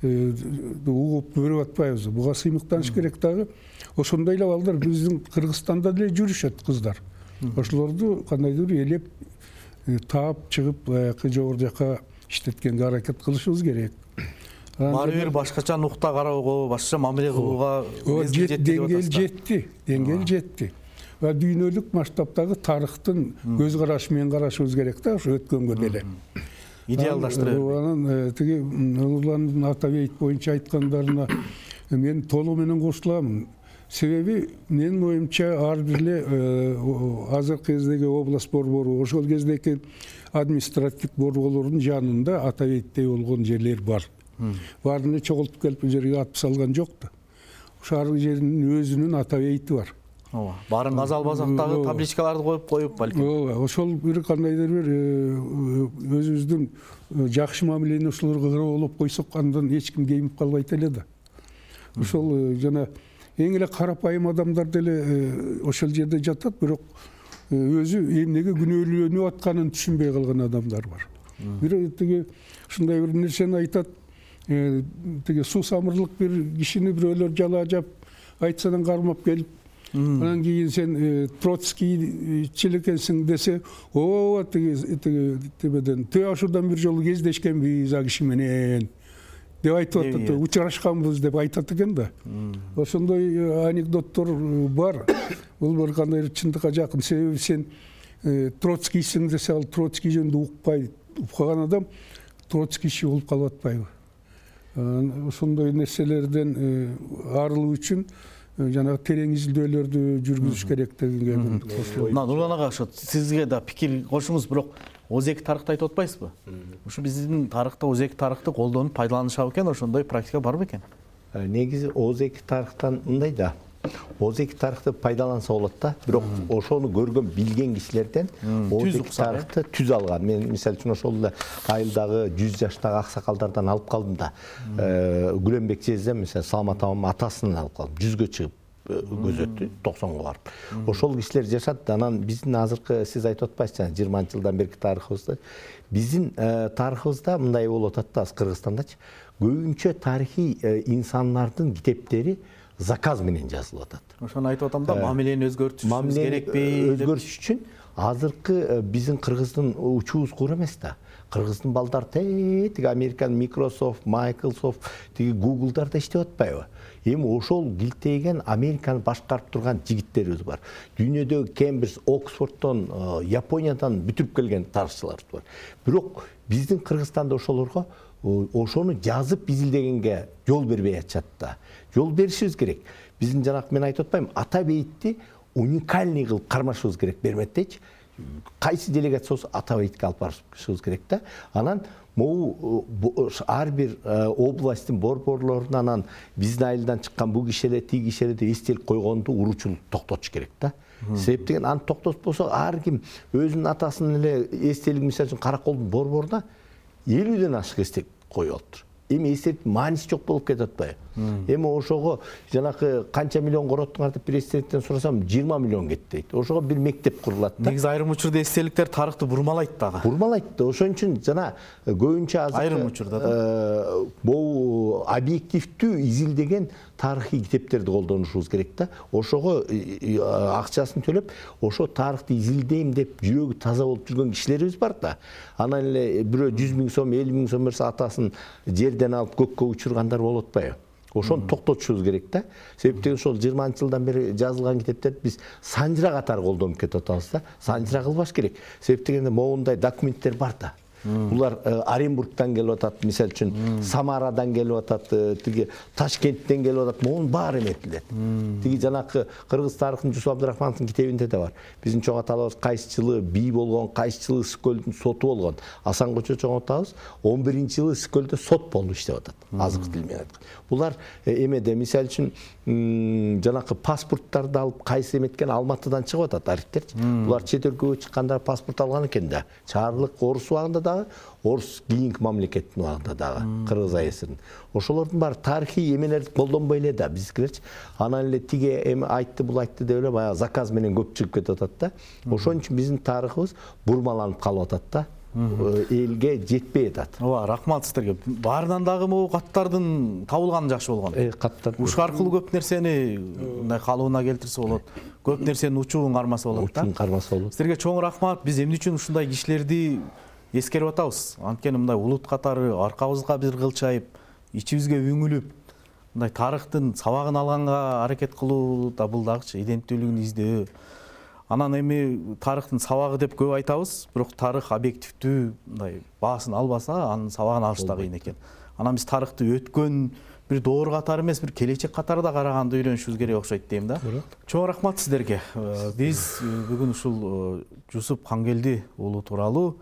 угуп көрүп атпайбыз. Буга сыймыктаныш керек дагы. Ошондой эле балдар биздин Кыргызстанда деле жүрүшөт кыздар. Ошолорду кандайдыр элеп таап чыгып, баягы жогору жака иштеткенге аракет кылышыбыз керек. Баары бир башкача нукта кароого, башкача мамиле кылууга деңгээл жетти. Ва дүйнөлүк масштабтагы тарыхтын көз карашы менен карашыбыз керек да, ошо өткөнгө деле. Идеалдаштыра бербей. Анан тиги Нурландын Атабейт боюнча айткандарына мен толугу менен кошуламын. Себеби менин оюмча ар бир эле азыркы кездеги область борбору, ошол кездеги административдик борборлордун жанында Атабейттей болгон жерлер бар. Баарын эле чогултуп келип бул жерге атып салган жок да. Ошол ар жердин өзүнүн Атабейти бар. Ооба. Баарын газал базактагы табличкаларды коюп балким. Ооба, ошол бир кандайдыр бир өзүбүздүн жакшы мамилени ошолорго кыроолоп койсок, андан эч ким кейинип калбайт эле да. Ошол жана эң эле карапайым адамдар деле ошол жерде жатат, бирок өзү эмнеге күнөөлөнүп атканын түшүнбөй калган адамдар бар. Бир тиги ушундай бир нерсени айтат, тиги суусамырлык бир кишини бирөөлөр жалаажап айтсадан кармап келип, анан кийин сен Троцкийчил экенсиң десе, ооба тибеден Тыашудан бир жолу кездешкенбиз а киши менен деп айтып атат, учурашканбыз деп айтат экен да. Ошондой анекдоттор бар. Бул бир кандай чындыкка жакын. Себеби сен Троцкийсиң десе, ал Троцкий жөнүндө укпаган адам Троцкийчи болуп калып атпайбы? Ошондой нерселерден арылуу үчүн жанагы терең изилдөөлөрдү жүргүзүш керек дегенге кошулат. Нурлан ага, ошо сизге да пикир кошуңуз, бирок озеки тарыхты айтып атпайсызбы? Ушу биздин тарыхта озеки тарыхты колдонуп пайдаланышабы экен, ошондой практика барбы экен? Негизи озеки тарыхтан мындай да. Озеки тарыхты пайдаланса болот да. Бирок ошону көргөн, билген кишилерден озеки тарыхты түз алган. Мен мисалы үчүн ошол эле айылдагы 100 жаштагы аксакалдардан алып калдым да. Күлөнбек жездем, мисалы Салмат апам атасынан алып калдым. 100гө чыгып көзөттү, 90го барып. Ошол кишилер жашат. Анан биздин азыркы сиз айтып атпайсызбы, 20 жылдан берки тарыхыбызды. Биздин тарыхыбызда мындай болуп атат да, Кыргызстандачы. Көбүнчө тарыхый инсандардын китептери заказ менен жазылып атат. Ошону айтып атам да, мамилени өзгөртүшүбүз керекпи? Өзгөртүш үчүн азыркы биздин Кыргыздын учубуз куура эмес да. Кыргыздын балдары тиги Американ Microsoft, Microsoft, тиги Google'дарда иштеп атпайбы? Эми ошол килтейген Американы башкарып турган жигиттерибиз бар. Дүйнөдөгү Кембридж, Оксфорддон, Япониядан бүтүрүп келген тарыхчылар бар. Бирок биздин Кыргызстанда ошолорго ошону жазып изилдегенге жол бербей атышат да. Жол беришибиз керек. Биздин жанагы мен айтып атпаймынбы, ата бейитти уникальный кылып кармашыбыз керек, берметтейчи. Кайсы делегация болсо ата бейитке алып барышыбыз керек да. Анан могу ар бир областтын борборлорунан анан биздин айылдан чыккан бул кишилер, тиги кишилер деп эстелик койгонду уруучулук токтотуш керек да. Себеп деген аны токтотпосо ар ким өзүнүн атасынын эле эстелигин, мисалы үчүн Караколдун борборуна 50ден ашык эстелик коюп алыптыр. Эми эстеликтин мааниси жок болуп кетип атпайбы? Эми ошого жанакы канча миллион короттуңар деп президенттен сурасам 20 миллион кетти дейт. Ошого бир мектеп курулат да. Негизи айрым учурда эстеликтер тарыхты бурмалайт дагы. Бурмалайт да. Ошон үчүн жана көбүнчө азыр айрым учурда да бул объективдүү изилдеген тарыхый китептерди колдонушубуз керек да. Ошого акчасын төлөп, ошо тарыхты изилдейм деп жүрөгү таза болуп жүргөн кишилерибиз бар да. Анан эле бирөө 100 000 сом, 50 000 сом берсе атасын жерден алып көккө учургандар болуп атпайбы? Ошону токтотушубуз керек да. Себеп деген ошол 20 жылдан бери жазылган китептерди биз санжыра катары колдонуп кетип атабыз да. Санжыра кылбаш керек. Себеп дегенде моундай документтер бар да. Булар Оренбургтан келип атат, мисалы үчүн Самарадан келип атат, тиги Ташкенттен келип атат, моун баары эметилет. Тиги жанакы Кыргыз тарыхын Жусуп Абдрахмановдун китебинде да бар. Биздин чоң аталарыбыз кайсы жылы бий болгон, кайсы жылы Ысыкөлдүн соту болгон. Асан Кочо чоң атабыз 11-жылы Ысыкөлдө сот болду иштеп атат. Азыркы тил менен айтканда. Булар эмеде, мисалы үчүн жанакы паспорттарды алып кайсы эметкен Алматыдан чыгып атат архивтерчи. Булар чет өлкөгө чыкканда паспорт алган экен да. Чарлык орус убагында дагы, орус кийинки мамлекеттин убагында дагы, Кыргыз АСРдин. Ошолордун баары тарыхый эмелерди колдонбой эле да биздикилерчи. Анан эле тиги эми айтты, бул айтты деп эле баягы заказ менен көп чыгып кетип атат да. Ошон үчүн биздин тарыхыбыз бурмаланып калып атат да. Элге жетпей атат. Ооба, рахмат сиздерге. Баарынан дагы могу каттардын табылганы жакшы болгон. Каттар. Уш аркылуу көп нерсени мындай калыбына келтирсе болот. Көп нерсенин учуун кармаса болот да. Учуун кармаса болот. Сиздерге чоң рахмат. Биз эмне үчүн ушундай кишилерди эскерип атабыз? Анткени мындай улут катары аркабызга бир кылчайып, ичибизге үңүлүп, мындай тарыхтын сабагын алганга аракет кылуу да бул дагычы иденттүүлүгүн издөө. Анан эми тарыхтын сабагы деп көп айтабыз, бирок тарых объективдүү мындай баасын албаса, анын сабагын алыш да кыйын экен. Анан биз тарыхты өткөн бир доор катары эмес, бир келечек катары да караганды үйрөнүшүбүз керек окшойт дейм да. Чоң рахмат сиздерге. Биз бүгүн ушул Жусуп Кангелди уулу тууралуу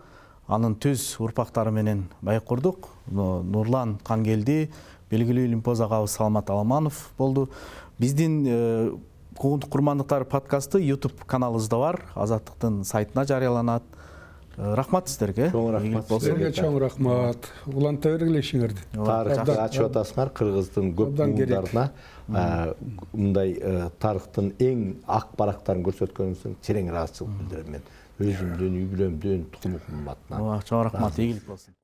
анын түз урпактары менен байып курдук. Нурлан Кангелди, белгилүү Лимпоз агабыз Салмат Аламанов болду. Биздин Куугунтук курмандыктар подкасты YouTube каналыбызда бар. Азаттыктын сайтына жарыяланат. Рахмат сиздерге. Чоң рахмат. Сиздерге чоң рахмат. Уланта бергиле ишиңерди. Тарыхты ачып атасыңар, Кыргыздын көп уулдарына мындай тарыхтын эң ак барактарын көрсөткөнүңүз үчүн терең ыраазычылык билдирем мен. Өзүмдүн, үй бүлөмдүн, тукум атынан. Чоң рахмат, ийгилик болсун.